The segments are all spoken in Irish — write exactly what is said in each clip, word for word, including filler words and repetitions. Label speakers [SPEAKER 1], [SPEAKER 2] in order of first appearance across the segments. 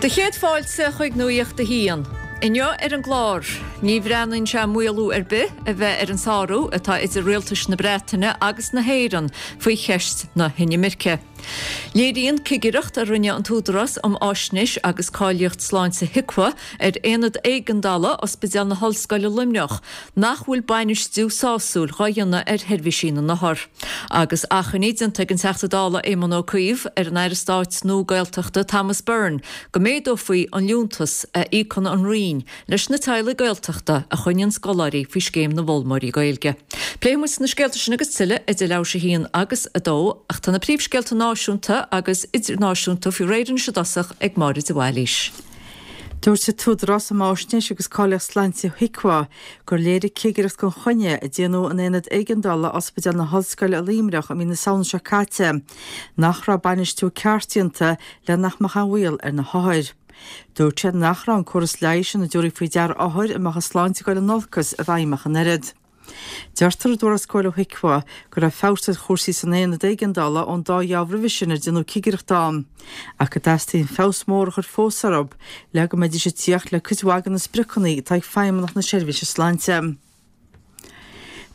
[SPEAKER 1] Do chéad fáilte chuig Nuacht a hAon. Inniu ar an gclár, ní bhreathnaíonn sé maolú ar bith a bheith ar an sárú atá idir rialtais na Breataine agus na hÉireann faoi cheist na hinimirce. Léiríonn cigireacht a rinne an tÚdarás um Fhaisnéis agus Cáilíocht Sláinte HIQA ar aonad éigeandála Ospidéal na hOllscoile Luimneach nach bhfuil bainistiú sásúil á dhéanamh ar sheirbhísí na n-othar. Agus achainí déanta ag an Teachta Dála Éamon Ó Cuív ar an Aire Stáit nua Gaeltachta Thomas Byrne go méadófaí an liúntas a íocann an Roinn leis na teaghlaigh Gaeltachta a choinníonn scoláirí faoi scéim na bhfoghlaimeoirí Gaeilge. Pléifidh muid na scéalta sin agus tuilleadh idir leathuair tar éis a haon agus a dó ach tá na príomhscéalta náisiúnta agus idirnáisiúnta faoi réir anois i dtosach ag Máire de Bhailís.
[SPEAKER 2] Dúirt an tÚdarás um Fhaisnéis agus Cáilíocht Sláinte HIQA gur léirigh cigireacht gan choinne a déanadh in aonad éigeandála Ospidéal na hOllscoile i Luimneach i mí na Samhna seo caite, nach raibh bainistiú ceart déanta le nach mbeadh aon bhaol ar na hothair. Dúirt sé nach raibh an córas leighis ina dtabharfaí faoi deara othair a mbeadh a sláinte ag dul in olcas i bhfeidhm ach an oiread. Deirtear i dtuarascáil ó HIQA go raibh feabhas ar chúrsaí san aonad éigeandála ón dá gheábh roimhe sin ar déanadh cigireacht ann, ach go dteastaíonn feabhas mór a chur fós orthu le go mbeidís ag tíocht le cuid mhaith de na spriocanna atá ag Feidhmeannacht na Seirbhíse Sláinte.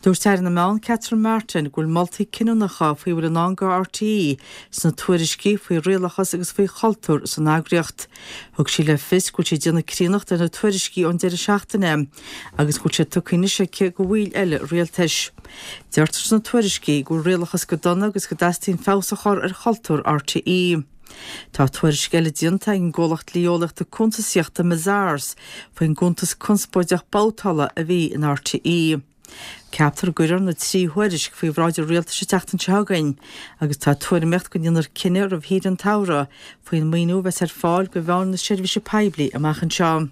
[SPEAKER 2] Dúirt Aire na Meán Catherine Martin go bhfuil moltaí cinniúnacha faoi bhfuil i ndán do RTÉ sna tuairiscí faoi rialachas agus faoi chultúr san eagraíocht. Thug sí le fios go bhfuil sí ag déanamh críonnacht ar na tuairiscí ón deireadh seachtaine agus go bhfuil sé tugtha anois aici do bhaill eile rialtais. Deirtear sna tuairiscí go bhfuil rialachas go dona agus go dteastaíonn feabhas a chur ar chultúr RTÉ. Tá tuairisc eile déanta ag an gcomhlacht dlí-eolaíochta cuntasaíochta Mazars faoin gcuntas conspóideach babhtála a bhí in RTÉ. Ceaptar go gcuirfear na trí thuairisc faoi bhráid an rialtais an tseachtain seo chugainn, agus tá tuairimíocht go ndéanfar cinneadh roimh shaoire an tsamhraidh faoin maoiniú a bheas ar fáil do mheáin na seirbhíse poiblí amach anseo.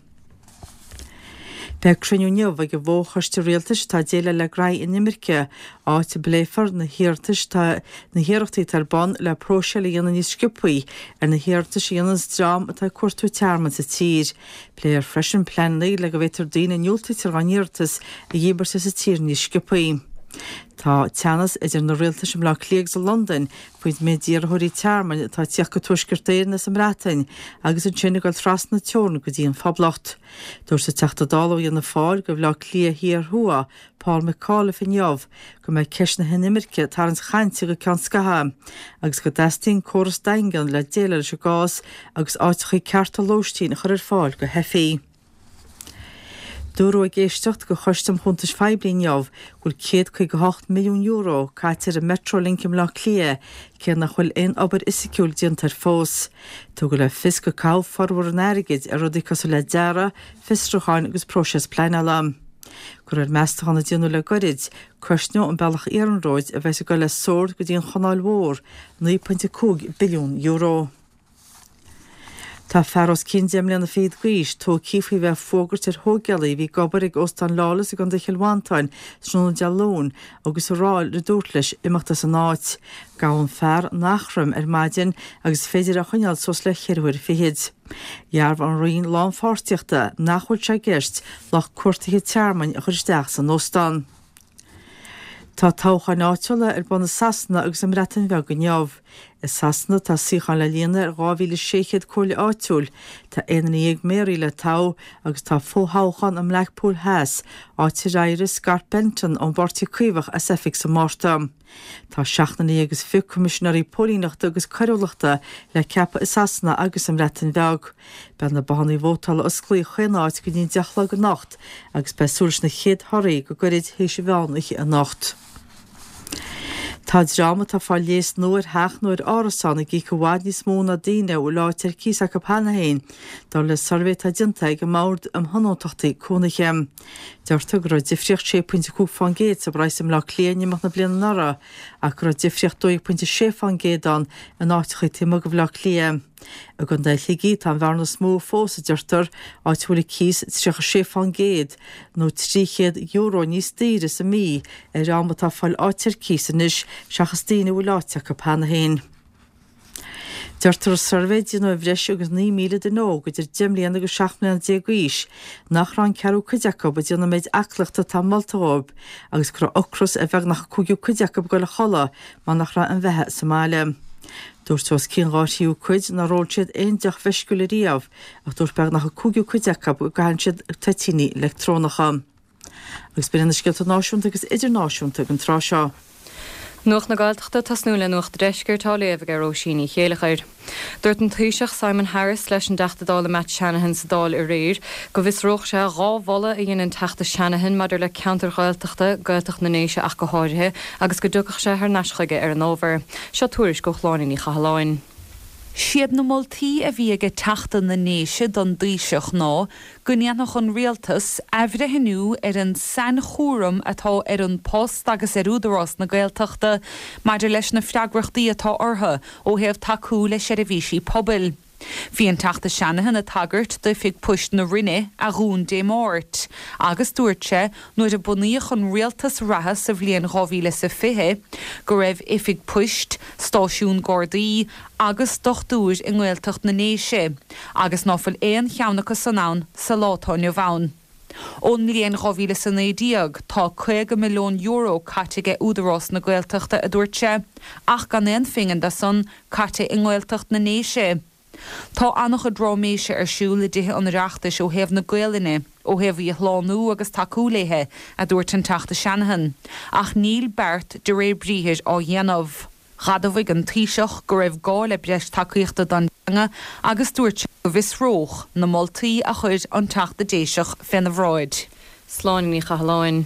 [SPEAKER 2] Beidh cruinniú inniu ag an bhFo-Choiste Rialtais atá ag déileáil le gnaithí inimirce, áit a bpléifear na hiarratais na hiarrachtaí atá ar bun le próiseáil a dhéanamh níos sciobthaí ar na hiarratais a dhéanann dream atá ag cuartú tearmainn sa tír. Pléifear freisin pleananna le go bhféadfar daoine a ndiúltaítear dá n-iarratas a dhíbirt as an tír níos sciobthaí. Tá teannas idir na rialtais i mBleá Cliath agus i Londain faoin méid iarrthóirí tearmainn atá ag tíocht go Tuaisceart Éireann as an mBreatain agus ansin ag dul trasna na teorann go dtí an Phoblacht. Dúirt an Teachta Dála ó Fhianna Fáil do Bhleá Cliath Thiar Thuaidh, Paul McAuliffe inniu, go mbeidh ceist na hinimirce ag tarraingt chainte go ceann scaithimh agus go dteastaíonn córas daingean le déileáil leis an gcás agus áiteacha cearta lóistín a chur ar fáil do theifigh. Dúradh ag éisteacht do Choiste um Chuntais Phoiblí inniu go bhfuil céad caoga hocht milliún euro caite ar an Metrolink i mBleá Cliath, cé nach bhfuil aon obair fhisiciúil déanta air fós. Tugadh le fios gur caitheadh formhór an airgid ar rudaí cosúil le dearadh, fiosrúcháin agus próiseas pleanála. De réir meastachán a déanadh le goirid, cosnóidh an bealach iarnróid a bheas ag dul as Sord go dtí an Chanáil Mhór naoi pointe cúig billiún euro. Tá fear os cionn deich mbliana fichead d'aois tógtha faoi bheith ag fuagairt ar thógálaí a bhí ag obair ag Óstán Lawless i gContae Chill Mhantáin tráthnóna Dé Luain agus a rá le dúirt leis imeacht as an áit. Gabhadh an fear in Eachroim ar maidin agus is féidir é a choinneáil suas le ceithre huaire fichead. Dhearbhaigh an Roinn Lánpháirtíochta nach bhfuil sé i gceist lucht cuartaithe tearmainn a chur isteach san óstán. Tá toghcháin áitiúla ar bun i Sasana agus i mBreatain Bheag inniu. I Sasana tá suíocháin le líonadh ar dhá mhíle sé chéad comhairle áitiúil, tá aon duine dhéag méaraí le toghadh agus tá fo-thoghchán i mBlackpool Theas, áit ar éirigh Scott Benton ón bPáirtí Caomhach as oifig sa Mhárta. Tá seacht nduine dhéag is fiche coimisinéirí póilíneachta agus coiriúlachta le ceapadh i Sasana agus i mBreatain Bheag. Beidh na bothanna vótála osclaithe chaon áit go dtí an deich a chlog anocht agus beidh súil leis na chéad thorthaí go gairid théis an mheán oíche anocht. Tá dream atá ag fáil léas nua ar theach nó ar árasán ag íoc i bhfad níos mó ná daoine a bhfuil áit ar cíos acu cheana féin, dar le suirbhé atá déanta ag an mBord um Thionóntachtaí Cónaithe. Deirtear go raibh difríocht sé pointe cúig fán gcéad sa bpraghas i mBleá Cliath in imeacht na bliana anuraidh ach go raibh difríocht dó dhéag pointe sé fán gcéad ann in áiteacha taobh amuigh de Bhleá Cliath. I gContae Shligigh tá an bhearna is mó fós, a deirtear, áit a bhfuil an cíos tríocha sé fán gcéad nó trí chéad euro níos daoire sa mhí ar dhream atá ag fáil áit ar cíos anois seachas daoine a bhfuil áit acu cheana féin. Deirtear i suirbhé a déanadh ar bhreis agus naoi míle duine óg idir deich mbliana agus seacht mbliana déag d'aois nach raibh an ceathrú cuid acu ag déanamh an méid aclaíochta atá molta dhóibh agus go raibh ocras ar bheagnach an cúigiú cuid acu ag dul a chodladh mar nach raibh aon bheatha sa mbaile. Dúirt os cionn dhá thríú cuid nár ól siad aon deoch mheisciúil ariamh, ach dúirt beagnach an cúigiú cuid acu go gcaitheann siad toitíní leictreonacha. Agus b'in na scéalta náisiúnta agus idirnáisiúnta ag an tráth seo.
[SPEAKER 3] Nuacht na Gaeltachta ag tosnú le Nuacht an Deiscirt á léamh ag Róisín Ní Chéilleachair. Dúirt an Taoiseach Simon Harris leis an dTeachta Dála Matt Shanahan sa Dáil aréir go bhfiosródh sé dhá mholadh a dhein an Teachta Shanahan maidir le ceantar Ghaeltachta, Gaeltacht na nDéise ach go háirithe, agus go dtiocfadh sé thar n-ais chuige ar an ábhar. Seo tuairisc ó Shláine Ní Chathalláin.
[SPEAKER 4] Siad na moltaí a bhí ag Teachta na nDéise don dTaoiseach ná go ndéanfadh an rialtas athbhreithniú ar an sainchúram atá ar An Post agus ar Údarás na Gaeltachta maidir leis na freagrachtaí atá orthu ó thaobh tacú le seirbhísí pobail. Bhí an Teachta Shanahan ag tagairt d'oifig poist na Rinne a dhún Dé Máirt, agus dúirt sé nuair a bunaíodh an rialtas reatha sa bhliain dhá mhíle is a fiche go raibh oifig poist, stáisiún Gardaí agus dochtúir i nGaeltacht na nDéise, agus ná fuil aon cheann acu san ann sa lá atá inniu ann. Ón mbliain dhá mhíle is a naoi déag tá caoga milliún euro caite ag Údarás na Gaeltachta, a dúirt sé, ach gan aon phingin de san caite i nGaeltacht na nDéise. Tá an-chuid ráiméise ar siúl i dTithe an Oireachtais ó thaobh na Gaelainne, ó thaobh í a shlánú agus tacú léithe, a dúirt an Teachta Shanahan, ach níl beart de réir briathair á dhéanamh. Dh'admhaigh an Taoiseach go raibh gá le breis tacaíochta don teanga agus dúirt sé go bhfiosródh na moltaí a chuir an Teachta Déiseach féna bhráid.
[SPEAKER 3] Sláine Ní Chathalláin.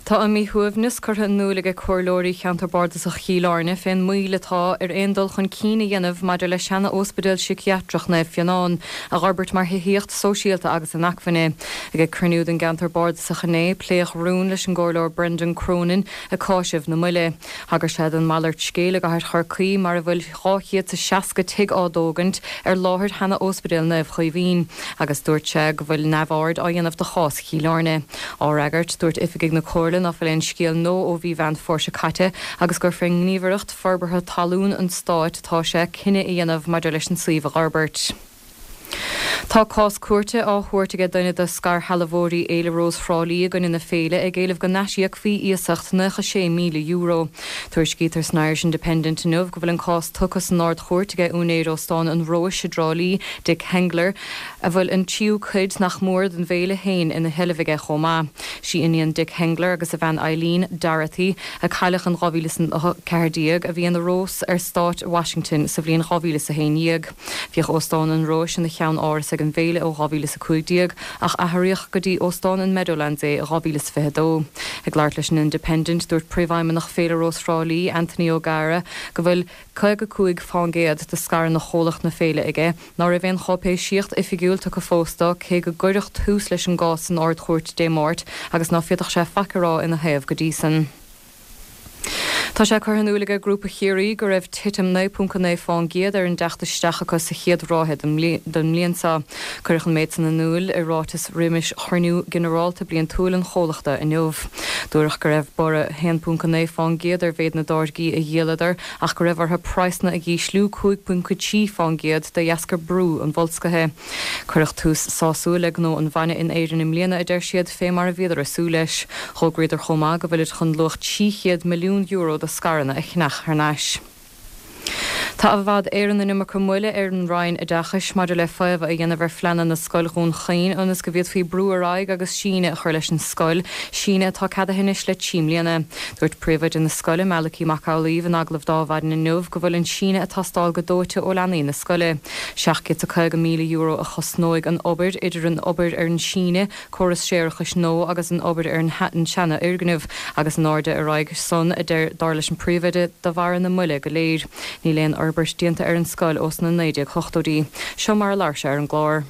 [SPEAKER 3] Tá a míshuaimhneas curtha in iúl ag comhairleoirí Cheantar Bardasach Chill Airne fén moill atá ar aon dul chun cinn a dhéanamh maidir le seana-óspidéal síciatrach Naomh Fionnán a dh'fhorbairt mar thithíocht sóisialta agus inacmhainne. Ag cruinniú den gceantar bardasach inné, pléadh rún leis an gComhairleoir Brendan Cronin ag cáiseamh na moille. Thagair sé don mhalairt scéil i gcathair Chorcaí mar a bhfuil dhá chéad is seasca tigh á dtógaint ar láthair sheana-óspidéal Naomh Caoimhín agus dúirt sé go bhfuil neamhaird á dhéanamh de chás Chill Airne. Á fhreagairt, dúirt oifigigh na Comhairle ná fuil aon scéal nua ó mhí Mheán Fómhair seo caite agus gur fé Ghníomhaireacht Forbartha Talún an Stáit atá sé cinneadh a dhéanamh maidir leis an suíomh a dh'fhorbairt. Tá cás cúirte á thabhairt aige duine de scairshealbhóirí Fhéile Rós Thrá Lí i gcoinne na féile ag éileamh go n-aisíocfaí iasacht nócha sé míle euro. Tuairiscítear san Irish Independent inniu go bhfuil an cás tugtha san Ard-Chúirt aige úinéir Óstán an Róis i dTrá Lí, Dick Hengler, a bhfuil an tríú cuid nach mór den bhféile féin ina sheilbh aige chomh maith. Sí iníon Dick Hengler agus a bhean Eileen, Dorothy, a cailleadh in dhá mhíle is a ceathair déag, a bhí ina Rós ar Stát Washington sa bhliain dhá mhíle is a haon dhéag. Bhíodh Óstán an Róis ina cheann áras ag an bhféile ó dhá mhíle is a cúig déag ach athraíodh go dtí Óstán an Meadowlands é i dhá mhíle is fiche a dó. Ag labhairt leis an Independent, dúirt Príomhfheidhmeannach Féile Rós Thrá Lí, Anthony O'Gara, go bhfuil caoga cúig fán gcéad de scaireanna chomhlacht na féile aige, ná raibh aon cháipéisíocht oifigiúil tugtha fós dó, cé go gcuireadh tús leis an gcás san Ard-Chúirt Dé Máirt agus ná féadfadh sé faic a rá ina thaobh go dtí san. Tá sé curtha in iúl aige Grúpa Chiarraí go raibh titim naoi ponc a naoi fán gcéad ar an dteacht isteach acu sa chéad ráithe den mbliain seo. Cuireadh an méid san in iúl i ráiteas roimis chruinniú ginearálta bliantúil an chomhlachta inniu. Dúradh go raibh borradh a haon ponc a naoi fán gcéad ar mhéid na dtáirgí a dhíoladar ach go raibh orthu praghsanna a dh'ísliú cúig ponc a trí fán gcéad de dheasca brú an bhoilscithe. Cuireadh tús sásúil le gnó an bhainne in Éirinn i mbliana, a deir siad, fé mar a bhíodar ag súil leis. D'fhógraíodar chomh maith go bhfuilid chun luach trí chéad milliún euro de scaireanna a cheannach thar n-ais. Tá i bhfad Éireann an iomarca moille ar an Roinn Oideachais maidir le faomhadh a dhéanamh ar phleananna Scoil Dhún Chaoin ionas go bhféadfaí brú ar aghaidh agus síneadh a chur leis an scoil, síneadh atá ceadaithe anois le trí mbliana. Dúirt príomhoide na scoile, Malachy Mac Amhlaoibh, in agallamh d'Adhmhaidin inniu go bhfuil an síneadh ag teastáil go dóite ó leanaí na scoile. Seacht gcéad is caoga míle euro a chosnóidh an obair, idir an obair ar an síneadh, córas séarachais nua agus an obair ar an seana-fhoirgneamh, agus an airde a raghaidh san, a deir, dar leis an bpríomhoide, de bharra na moille go léir. Níl aon fhorbairt déanta ar an scoil ó sna naoi déag hochtóidí. Seo mar a labhair sé ar an gclár.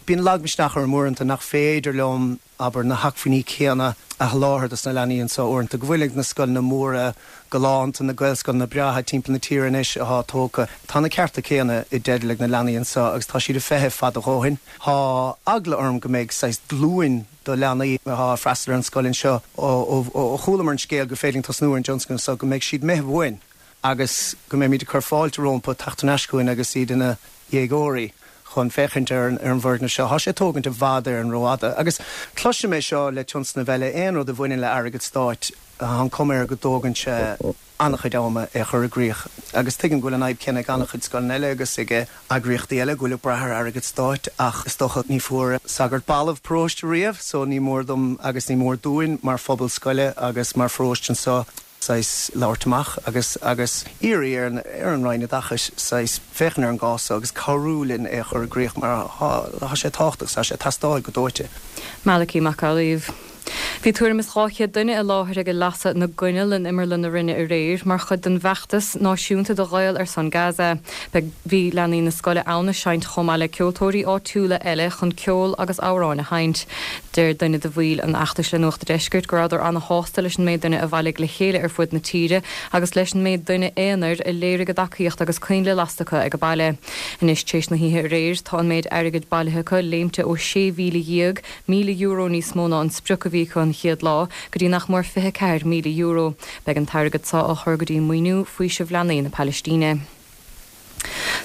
[SPEAKER 5] Bíonn lagmhisneach orm uaireanta nach féidir liom, abair, na hacmhainní céanna a sholáthar dos na leanaí anseo uaireanta, go bhfuil ag na scoileanna móra galánta, na Gaelscoileanna breátha timpeall na tíre anois atá tógtha. Tá na cearta céanna i dteideal ag na leanaí anseo agus tá siad ag feitheamh fada a dhóthain. Tá eagla orm go mbeidh saghas glúin do leanaí atá ag freastal ar an scoil anseo ó chualamar an scéal gur féidir linn tosnú ar an dtionscnamh seo, go mbeidh siad imithe uainn agus go mbeimid ag cur fáilte rompu teacht thar n-ais chugainn agus iad ina dhéagóirí chun féachaint ar an bhfoirgneamh seo. Tá sé ag tógaint i bhfad Éireann rófhada. Agus cloisim é seo le tionscnaimh eile, aon rud a bhaineann le airgead stáit, Tá an chuma air go dtógann sé an-chuid ama é a chur i gcrích agus tuigim go bhfuil an fhadhb céanna ag an-chuid scoileanna eile agus ag eagraíochtaí eile go bhfuil ag brath ar airgead stáit ach is dócha ní fuair sagart balbh paróiste riamh so ní mór dom agus ní mór dúinn mar phobal scoile agus mar pharóiste anseo saghas labhairt amach agus agus iarraidh ar ar an Roinn Oideachais saghas féachaint ar an gcás agus cabhrú linn é a chur i gcrích mar tá sé tábhachtach tá sé ag teastáil go dóite.
[SPEAKER 3] Malachy Mac Amhlaoibh. Bhí tuairim is dhá chéad duine i láthair ag lasadh na gcoinneal in Imearlann na Rinne aréir mar chuid den bhfeachtas náisiúnta do Ghaeil ar son Gaza. Beidh bhí leanaí na scoile ann ag seinnt chomh maith le ceoltóirí áitiúla eile chun ceol agus amhráin a sheinnt. Deir duine de bhaill an fheachtais le Nuacht an Deiscirt go rabhadar an-shásta leis an méid duine a bhailigh le chéile ar fud na tíre agus leis an méid duine aonair a léirigh a dtacaíocht agus coinnle lasta acu ag baile. Anois tar éis na hoíche aréir tá an méid airgid bailithe acu léimte ó sé mhíle dhéag míle euro níos mó ná an sprioc a bhí acu an chéad lá go dtí nach mór fiche ceathair míle euro. Beidh an t-airgead seo á chur go dtí maoiniú faoiseamh leanaí na Palaistíne.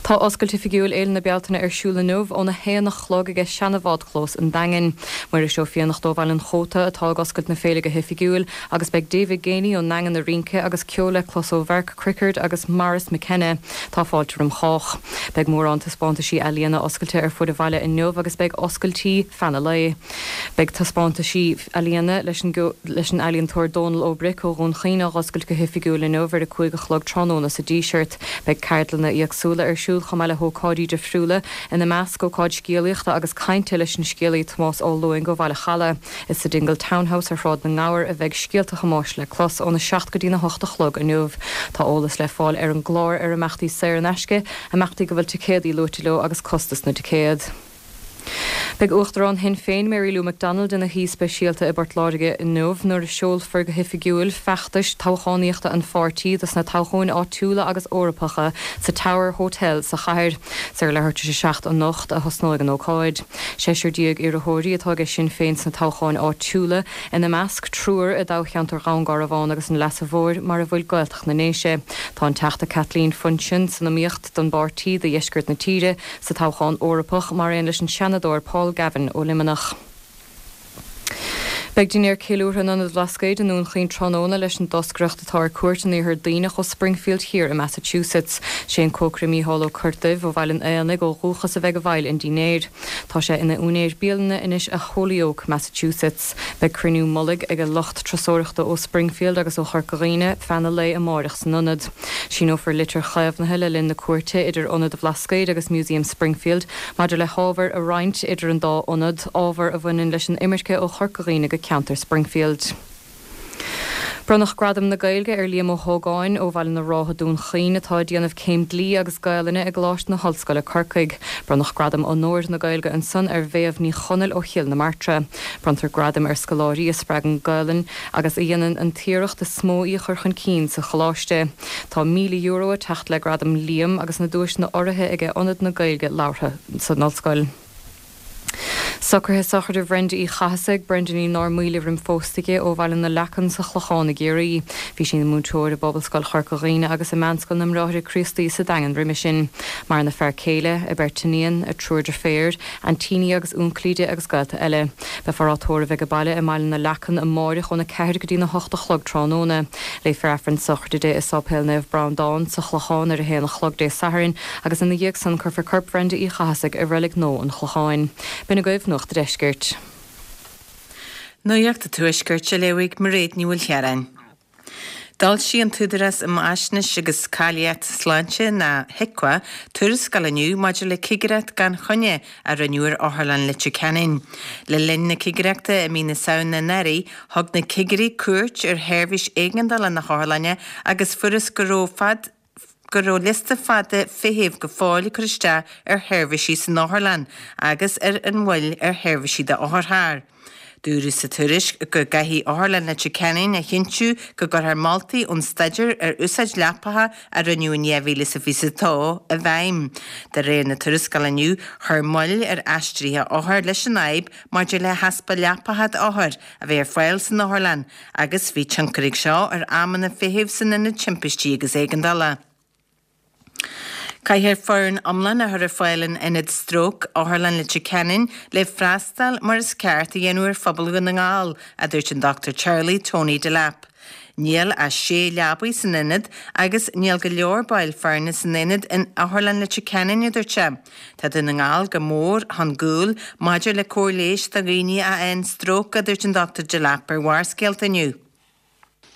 [SPEAKER 3] Tá oscailt oifigiúil Fhéile na Bealtaine ar siúl inniu óna haon a chlog ag seanabhádchlós an Daingin. Muiris Ó Fiannachta ó Bhaile an Chóta atá ag oscailt na féile go hoifigiúil agus beidh David Geaney ón nDaingean ag rince agus ceol le clos ó Mhark Crickard agus Maurice McKenna. Tá fáilte roimh chách. Beidh mórán taispeántaisí ealaíona oscailte ar fud an bhaile inniu agus beidh oscailtí feadh an lae. Beidh taispeántaisí ealaíona leis an leis an ealaíontóir Dónal Ó Bric ó Dhún Chaoin á oscailt go hoifigiúil inniu ar a cúig a chlog tráthnóna sa Díseart. Beidh ceardlanna éagsúla ar siúl chomh maith le hócáidí difriúla ina measc ócáid scéalaíochta agus cainte leis an scéalaí Tomás Ó Lúing ó Bhaile Challa. Is sa Dingle Townhouse ar Shráid na nGabhar a bheidh scéalta Thomáis le clos óna seacht go dtí na hocht a chlog inniu. Tá eolas le fáil ar an gclár ar imeachtaí saor in aisce, imeachtaí go bhfuil ticéadaí luaite leo agus costas na dticéad. Beidh Uachtarán Shinn Féin Mary Lou McDonald ina haoi speisialta i bPort Láirge inniu nuair a seolfar go hoifigiúil feachtais toghchánaíochta an pháirtí dos na toghcháin áitiúla agus Eorpacha sa Tower Hotel sa chathair. Ar leathuair tar éis a seacht anocht a thosnóidh an ócáid. Seisear déag iarrthóirí atá ag Sinn Féin sna toghcháin áitiúla ina measc triúr i dtoghcheantar Dhún Garbhán agus an Leasa Mhóir mar a bhfuil Gaeltacht na nDéise. Tá an Teachta Kathleen Funchion san iomaíocht don bpáirtí do dheisceart na tíre sa toghchán Eorpach mar aon leis an Seanadóir Paul Gavin ó Luimneach. Beidh dinnéar ceiliúrtha in Ionad Bhlascaoid i nDún Chaoin tráthnóna leis an dtoscaireacht atá ar cuairt in Iarthar Duibhneach ó Springfield thiar i Massachusetts. Sé an cócaire Mícheál Ó Corrduibh ó Bhaile an Éanaigh ó dhúchas a bheidh i bhfeighil an dinnéir. Tá sé ina úinéir bialainne anois i Holyoke, Massachusetts. Beidh cruinniú mullaigh ag a lucht turasóireachta ó Springfield agus ó Chorca Dhuibhne feadh an lae amárach san ionad. Síneofar litir chaomhnaithe le linn na cuairte idir Ionad Bhlascaoid agus Museum Springfield maidir le hábhar a roinnt idir an dá ionad, ábhar a bhaineann leis an imirce ó Chorca Dhuibhne go ceantar Springfield. Bronnadh Gradam na Gaeilge ar Liam Ó hÓgáin ó Bhaile na Rátha Dún Chaoin atá ag déanamh céim dlí agus Gaelainne i gColáiste na hOllscoile Corcaigh. Bronnadh Gradam Onóir na Gaeilge ansan ar Mhéabh Ní Chonaill ó Chill na Martra. Bronntar gradaim ar scoláirí a spreagann Gaelainn agus a dhéanann an t-iarracht is mó í a chur chun cinn sa choláiste. Tá míle euro ag teacht le gradam Liam agus na duaiseanna urraithe aige Ionad na Gaeilge labhartha san ollscoil. Socruithe sochraide Bhrenda Uí Chathasaigh, Brendanín nár mhaoile roim phósta di ó Bhaile na Leacan sa Chlochán i gCiarraí. Bhí sí ina múinteoir i bPobalscoil Chorca Dhuibhne agus i Meánscoil na mBráithre Críostaí sa Daingean roimhe sin. Maireann a fear céile, a beirt iníon, a triúr deirféar, aintíní agus únclaí di agus gaolta eile. Beifear á tórramh ag baile i mBaile na Leacan amárach óna ceathair go dtí na hocht a chlog tráthnóna. Léifear Aifreann sochraide di i Sáipéal Naomh Breandán sa Chlochán ar a haon a chlog Dé Sathairn agus ina dhiaidh san cuirfear corp Bhrenda Uí Chathasaigh i reilig nua an Chlocháin. B'in agaibh Nuacht an Deiscirt.
[SPEAKER 6] Nuacht an Tuaiscirt á léamh ag Mairéad Ní Mhaoilchiaráin. D'fhoilsigh an tÚdarás um Fhaisnéis agus Cáilíocht Sláinte nó HIQA tuarascáil inniu maidir le cigireacht gan choinne a rinneadh ar Otharlann Leitir Ceanainn. Le linn na cigireachta i mí na Samhna anuraidh, thug na cigirí cuairt ar sheirbhís éigeandála na hotharlainne agus fuarthas go raibh fad go raibh liosta fada feithimh go fóill ag cur isteach ar sheirbhísí san otharlann agus ar an mhoill ar sheirbhísí d'otharchairr. Dúradh sa tuairisc go gcaithfidh Otharlann Leitir Ceanainn a chinntiú go gcuirfear moltaí ón staidéar ar úsáid leapacha a rinneadh in dhá mhíle is fiche a dó i bhfeidhm. De réir na tuarascála inniu, chuir moill ar aistrithe othar leis an fhadhb maidir le heaspa leapacha d'othair a bheith ar fáil san otharlann agus bhí tionchar ag seo ar amanna feithimh san ionad timpistí agus éigeandála. Caithfear foireann iomlán a chur ar fáil in ionad stróc Otharlann Leitir Ceanainn le freastal mar is ceart a dhéanamh ar phobal Dhún na nGall, a dúirt an Dochtúir Charlie Tony Delap. Níl ach sé leabaidh san ionad agus níl go leor baill foirne san ionad in Otharlann Leitir Ceanainn, a dúirt sé. Tá Dún na nGall go mór chun gcúil maidir le cóir leighis do dhaoine a fhaigheann stróc, a dúirt an Dochtúir Delap ar Bharrscéalta inniu.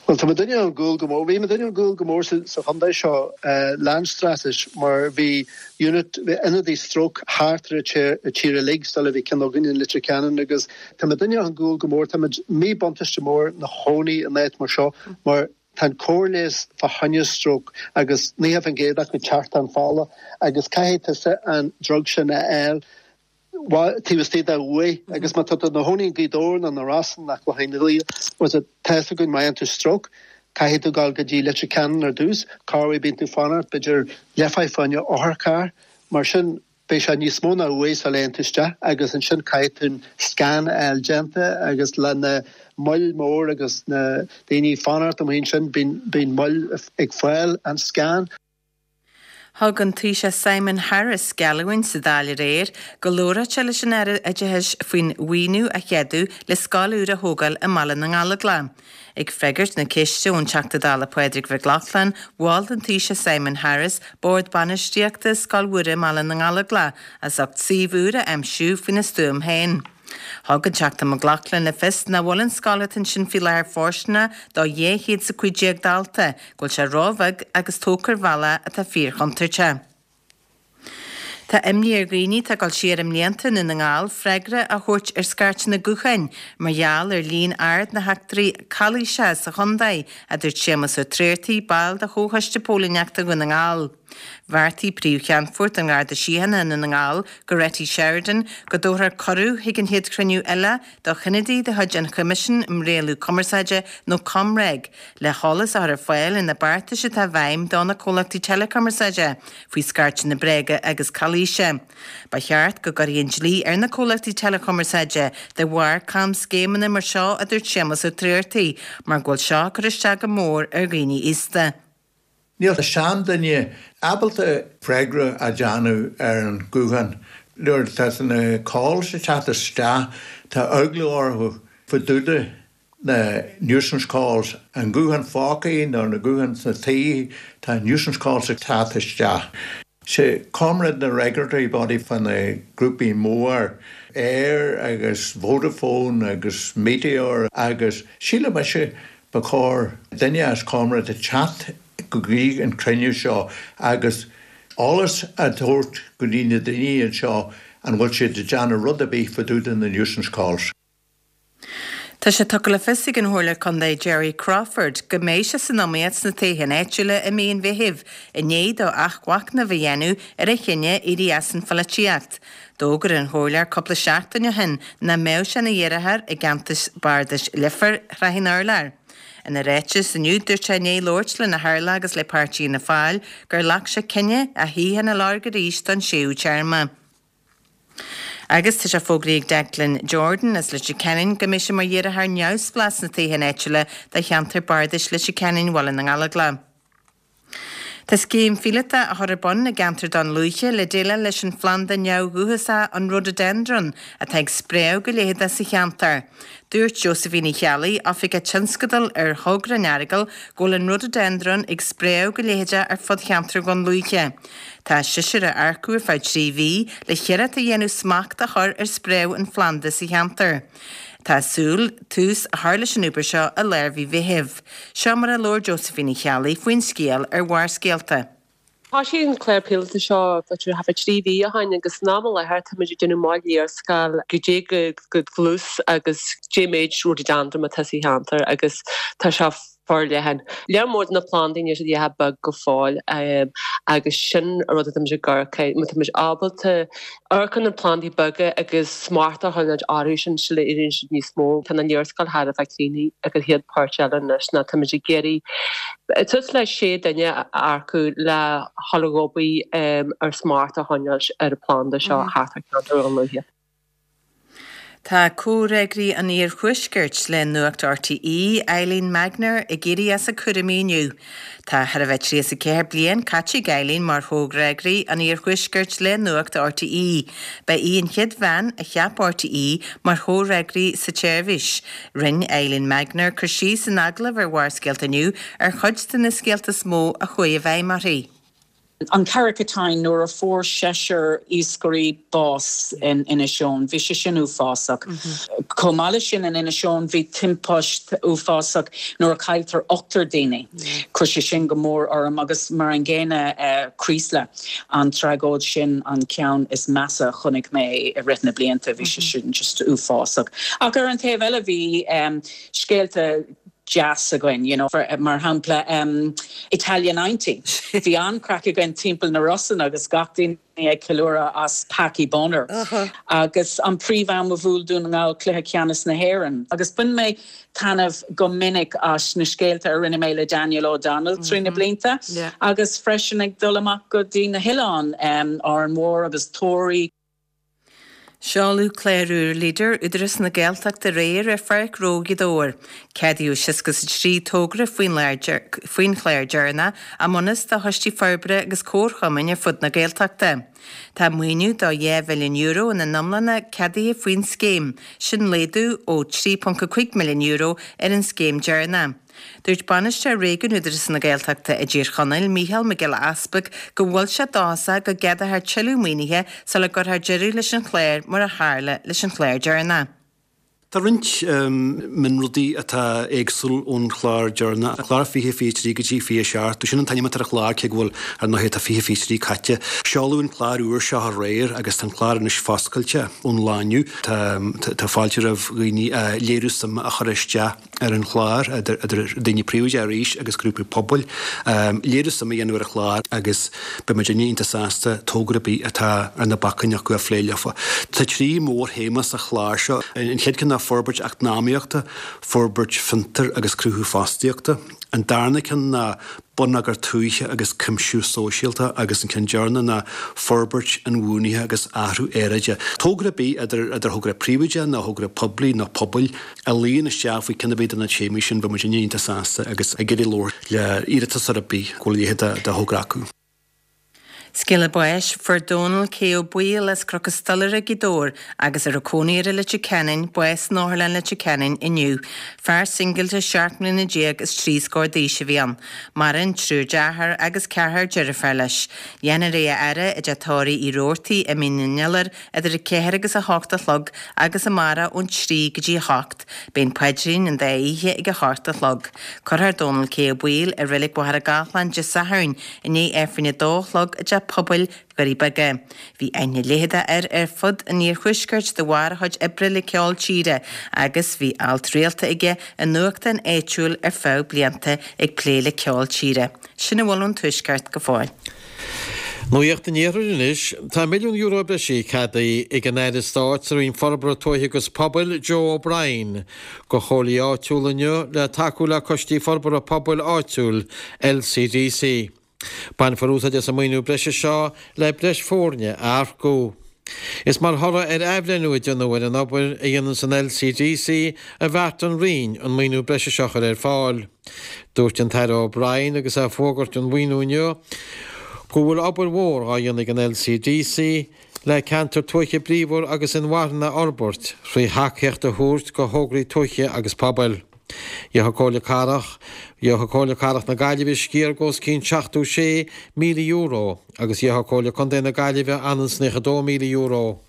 [SPEAKER 7] Well tá muidinne chun gcúil go mór, bhí muidinne chun gcúil go mór sa chontae seo leis an straitéis mar bhí unit bhí ionadaí stroke thart ar an tír uilig sula bhí ceann againn in Leitir Ceanainn agus tá muidinne chun gcúil go mór, tá muid míbhuntáiste mór na chónaí in áit mar seo mar tá an cóir leighis fá choinne stroke agus nócha faoin gcéad acu teacht an fála agus caithfidh tusa an drug sin a fháil taobh istigh de uair agus má tá tú i do chónaí i nGaoth Dobhair nó na Rosann nó Cloich Cheann was it tá fhios againn má fhaigheann tú stroke caithfidh tú dul go dtí Leitir Ceanainn ar dtús, corruair bíonn tú fanacht b'fhéidir leathuair fá choinne otharcharr mar sin beidh sé níos mó ná uair sula dtéann tú isteach agus ansin caithfidh tú an scan a fháil déanta agus le na moill mór agus na daoine fanacht amuigh ansin bíonn bíonn moill ag fáil an scan.
[SPEAKER 6] Thug an Taoiseach Simon Harris geallúint sa Dáil aréir go labhródh sé leis an Aire Oideachais faoin mhaoiniú a cheadú le scoil úr a thógáil i mBaile na nGallóglach. Ag freagairt na ceiste ón Teachta Dála Pádraig Mac Lochlainn, mhol an Taoiseach Simon Harris bord bainistíochta Scoil Mhuire i mBaile na nGallóglach as ucht suíomh úr a aimsiú faoina stuaim féin. Thug an Teachta Mac Lochlainn le fios nach bhfuil an scoil atá ansin faoi láthair fóirsteanach do dhá chéad is a cúig déag dalta, go bhfuil sé róbheag agus tógtha ar bhealach atá fíorchontúirteach. Tá imní ar dhaoine atá ag dul siar i mblianta i nDún na nGall freagra a thabhairt ar scairteanna gutháin mar gheall ar líon ard na heachtraí calaoise sa chontae, a dúirt Séamus Ó Tréartaigh, ball de Chomhchoiste Póilíneachta Dhún na nGall. Bheartaigh Príomh-Cheannfort an Gharda Síochána i nDún na nGall, Goretti Sheridan, go dtabharfar cuireadh chuig an chéad chruinniú eile do chionadaí de chuid an Choimisiúin um Rialú Cumarsáide nó ComReg le heolas a chur ar fáil ar na beartais atá i bhfeidhm do na comhlachtaí teileachumarsáide faoi scairteanna bréige agus calaoise. Ba cheart go gcuirfí an dlí ar na comhlachtaí teileachumarsáide de bharr camscéimeanna mar seo, a dúirt Séamus Ó Tréartaigh, mar go bhfuil seo ag cur isteach go mór ar dhaoine aosta.
[SPEAKER 8] Níl seanduine ábalta freagra a dhéanamh ar an guthán. Nuair atá na calls ag teacht isteach tá eagla orthu fá dtaobh de na nuisance calls, an guthán phóca nó na gutháin sna tí, tá nuisance calls ag teacht isteach. Sé ComReg na regulatory body fá na grúpaí mór Eir agus Vodafone agus Meteor agus sílim mise ba chóir duine as ComReg a teacht go dtí an cruinniú seo agus eolas a thabhairt go dtí na daoine anseo an bhfuil siad ag déanamh rud ar bith fá dtaobh de na nuisance calls.
[SPEAKER 6] Tá sé tugtha le fios ag an Chomhairleoir Contae Jerry Crawford go mbeidh sé san iomaíocht sna toghcháin áitiúla i mí an Mheithimh, i ndiaidh dó athmhachnamh a dhéanamh ar a chinneadh éirí as an pholaitíocht. D'fhógair an Comhairleoir cúpla seachtain ó shin nach mbeadh sé ina iarrthóir i gceantar bardais Leifear Shraith an Urláir. Ina ráiteas inniu dúirt sé i ndiaidh labhairt lena theaghlach agus le páirtí Fhianna Fáil gur ghlac sé cinneadh a shuíochán a lorg arís don séú téarma. Agus tá sé fógraithe ag Declan Jordan as Leitir Ceanainn go mbeidh sé mar iarrthóir neamhspleách sna toghcháin áitiúla do cheantar bardais Leitir Ceanainn Bhaile na nGallóglach. Tá scéim phíolótach á chur ar bun i gceantar Dún Lúiche le déileáil leis an phlanda neamhdhúchasach an rhododendron atá ag spréadh go leitheadach sa cheantar. Dúirt Josephine Uí Cheallaigh, oifigeach tionscadail ar thogra an Earagail, go bhfuil an rhododendron ag spréadh go leitheadach ar fud cheantar Dhún Lúiche. Tá seisear á earcú ar feadh trí mhí le hiarracht a dhéanamh smacht a chur ar spréadh an phlanda sa cheantar. Tá súil tús a chur leis an obair seo i lár mhí Mheithimh. Seo mar a labhair Josephine Uí Cheallaigh faoin scéal ar Bharrscéalta.
[SPEAKER 9] Thosaigh an clár píolótach seo b'fhéidir thart fá trí mhí ó shin agus san am i láthair táimid ag déanamh moil léarscáil goidé go dlús agus cé méid rhododendron atá sa cheantar agus tá sé forleathan. Lear mór de na plandaí níl siad ach beag go fóill agus sin an rud atáimid ag amharc air. Má táimid ábalta amharc ar na plandaí beaga agus smacht a choinneáil orthu sin sula éiríonn siad níos mó. Tá na léarscáil thar a bheith críochnaithe ag an chéad pháirt eile anois ná táimid ag iarraidh suas le sé duine a earcú le dhul ag obair ar smacht a choinneáil ar an phlanda seo thart ar cheantar Dhún Lúiche.
[SPEAKER 6] Tá comhfhreagraí an Iarthuaiscirt le Nuacht RTÉ, Eileen Magnier, ag éirí as a cúraimí inniu. Tá thar a bheith tríocha is a ceathair bliain caite ag Eileen mar chomhfhreagraí an Iarthuaiscirt le Nuacht RTÉ. Ba í an chéad bhean a cheap RTÉ mar chomhfhreagraí sa tseirbhís. Rinne Eileen Magnier cur síos in agallamh ar Bharrscéalta inniu ar chuid de na scéalta is mó a chuaigh i bhfeidhm uirthi.
[SPEAKER 10] An Carrick-a-Tine nuair a fuair seisear iascairí bás in Inis Eoghain, bhí sé sin uafásach. Chomh maith leis sin in Inis Eoghain bhí timpiste uafásach nuair a cailltear ochtar daoine. Chuir sé sin go mór orm agus mar an gcéanna Creeslough, an tragóid sin an ceann is measa a chonaic mé i rith na blianta, bhí sé sin just uafásach. Ach ar an taobh eile bhí scéalta deas againn, you know, mar shampla um, Italia ninety. Bhí an-chraic againn timpeall na Rosann agus gach duine ag ceiliúradh as Packie Bonner. Uh -huh. Agus an príomh-am a bhuail Dún na nGall cluiche ceannais na hÉireann. Agus bhain mé taitneamh go minic as na scéalta a rinne mé le Daniel O'Donnell trí na mhm. blianta, yeah. agus freisin ag dul amach go dtí na hoileáin um, Árainn Mhór agus Toraigh.
[SPEAKER 6] Seoladh clár úr Leader Údarás na Gaeltachta aréir ar Pháirc Ghnó Ghaoth Dobhair. Ceadaíodh seasca is a trí togra faoin chlár deireanach a mbunús do choistí forbartha agus comharchumainn ar fud na Gaeltachta. Tá maoiniú do dhá mhilliún euro ina n-iomláine ceadaithe faoin scéim, sin laghdú ó trí ponc a cúig milliún euro ar an scéim deireanach. Dúirt Bainisteoir Réigiún Údarás na Gaeltachta i dTír Chonaill, Mícheál Mac Giolla Easpaig, go bhfuil sé dóchasach go gceadófar tuilleadh maoinithe sula gcuirfear deireadh leis an chlár mar a tharla leis an chlár deireanach.
[SPEAKER 11] Tá roinnt mionrudaí atá éagsúil ón chlár deireanach, clár fiche fiche trí go dtí fiche seacht. Sin an t-ainm atá ar an chlár cé go bhfuil ar ndóigh tá fiche fiche trí caite. Seoladh an clár úr seo aréir agus tá an clár anois foscailte ón lá inniu. Tá tá fáilte roimh dhaoine léiriú suime a chur isteach ar an chlár, idir daoine príobháideacha arís agus grúpaí pobail, léiriú suime a dhéanamh ar an chlár agus beidh muidinne iontach sásta togra ar bith atá ar na bacáin acu a phlé leofa. Tá trí mhórthéama sa chlár seo. An chéad ceann ná forbairt eacnamaíochta, forbairt fiontar agus cruthú fostaíochta. An darna ceann ná bonneagar tuaithe agus cuimsiú sóisialta agus an ceann deireanach ná forbairt inbhuanaithe agus athrú aeráide. Togra ar bith, idir idir thogra príobháideach nó thogra poiblí nó pobail, a luíonn isteach faoi ceann ar bith de na téamaí sin, beidh muidinne iontach sásta agus ag iarraidh labhairt le hiarratasóir ar bith go bhfuil a leithéid de thogra acu.
[SPEAKER 6] Scéala báis, Fuair Dónal K. Ó Baoill as Cnoc an Stolaire, Gaoth Dobhair, agus a raibh cónaí air i Leitir Ceanainn, bás in Otharlann Leitir Ceanainn inniu. Fear singilte seacht mbliana déag is trí scór d'aois a bhí ann. Maireann triúr dearthár agus ceathrar deirféar leis. Dhéanfar é a fhaire i dteach tórraimh Uí Rabhartaigh i Mín an Iolair idir a ceathair agus a hocht a chlog agus amárach ón trí go dtí a hocht. Beidh an paidrín an dá oíche ag a hocht a chlog. Cuirfear Dónal K. Ó Baoill i Reilig Mhachaire Gathlán Dé Sathairn i ndiaidh Aifreann a dó a chlog i dteach pobail Dhoirí Beaga. Bhí aithne leitheadach air ar fud an iarthuaiscirt de bharr a chuid oibre le ceol tíre agus bhí alt rialta aige i nuachtán áitiúil ar feadh blianta ag plé le ceol tíre. Sin a bhfuil ón tuaisceart go fóill.
[SPEAKER 12] Nuacht an Iarthair anois. Tá milliún euro breise ceadaithe ag an Aire Stáit sa Roinn Forbartha Tuaithe agus Pobail, Joe O'Brien, do chomhairlí áitiúla inniu le tacú le Coistí Forbartha Pobail Áitiúil, LCDC. Bainfear úsáid as an maoiniú breise seo le breis foirne a earcú. Is mar thoradh ar athbhreithniú a déanadh ar an obair a dhéananns an LCDC a bheartaigh an Roinn an maoiniú breise seo a chur ar fáil. Dúirt an tAire O'Brien agus é ag fógairt an mhaoiniú inniu go bhfuil obair mhór á dhéanamh ag an LCDC le ceantar tuaithe bríomhar agus inmharthana a fhorbairt thrí thacaíocht a thabhairt do thograí tuaithe agus pobail. Gheobhaidh Comhairle Cathrach Gheobhaidh Comhairle Cathrach na Gaillimhe sciar de os cionn seachtó sé míle euro agus gheobhaidh Comhairle Contae na Gaillimhe ionann is naocha dó míle euro.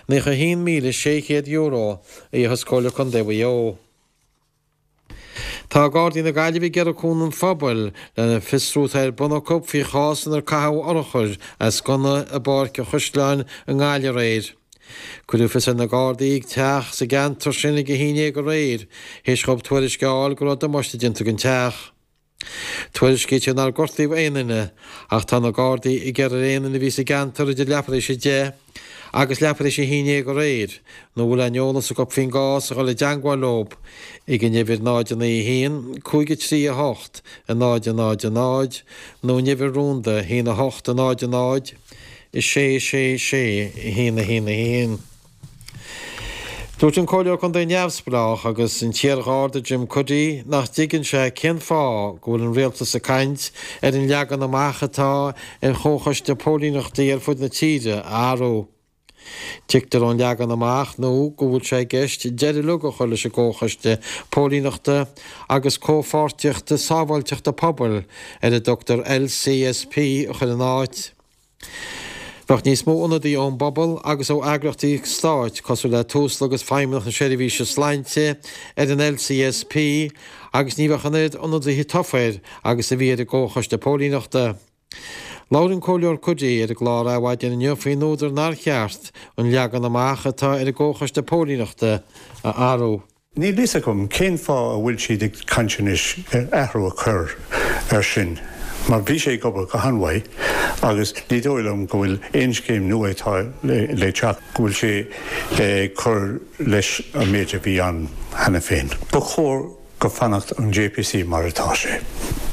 [SPEAKER 12] Naocha a haon míle sé chéad euro a gheobhas Comhairle Contae Mhaigh Eo. Tá Gardaí na Gaillimhe ag iarraidh cúnamh an phobail lena bhfiosrú atá ar bun acu faoi chás inar caitheadh urchar as gunna i bPáirc an Chaisleáin i nGaillimh aréir. Cuireadh fios ar na Gardaí ag teach sa gceantar sin ag a haon déag aréir, théis dhóibh tuairisc a fháil go raibh damáiste déanta don teach. Tuairiscítear nár gortaíodh aon duine, ach tá na Gardaí ag iarraidh ar aon duine a bhí sa gceantar idir leathuair théis a deich agus leathuair théis a haon déag aréir, nó a bhfuil aon eolas acu faoin gcás a dhul i dteangmháil leo ag an uimhir náid a naoi a haon, cúig a trí a hocht, a náid a náid a náid nó an uimhir rúnda a haon a hocht a náid a náid. a sé sé sé a haon a haon a haon. Dúirt an Comhairleoir Contae Neamhspleách agus an t-iarGharda Jim Cuddy nach dtuigeann sé cén fáth go bhfuil an rialtas ag caint ar an leagan amach atá ar chomhchoiste póilíneachtaí ar fud na tíre a athrú. Tuigtear ón leagan amach nua go bhfuil sé i gceist deireadh uilig a chur leis an gComhchoiste Póilíneachta agus Comhpháirtíochta Sábháilteachta Pobail ar a dtugtar LCSP a chur ina áit. Bheadh níos mó ionadaí ón bpobal agus ó eagraíochtaí stáit cosúil le Tusla agus Feidhmeannacht na Seirbhíse Sláinte ar an LCSP agus ní bheadh an oiread ionadaithe tofa air agus a bhí ar an gComhchoiste Póilíneachta. Labhair an Comhairleoir Cuddy ar an gclár Adhmhaidin inniu faoin údar nár cheart an leagan amach atá ar an gComhchoiste Póilíneachta a athrú.
[SPEAKER 8] Níl fhios agam cén fáth a bhfuil siad ag caint anois ar athrú a chur air sin, mar bhí sé ag obair go han-mhaith agus ní dóigh liom go bhfuil aon scéim nua atá le teacht go bhfuil sé ag cur leis an méid a bhí ann cheana féin. Ba chóir go fanacht an JPC mar atá sé.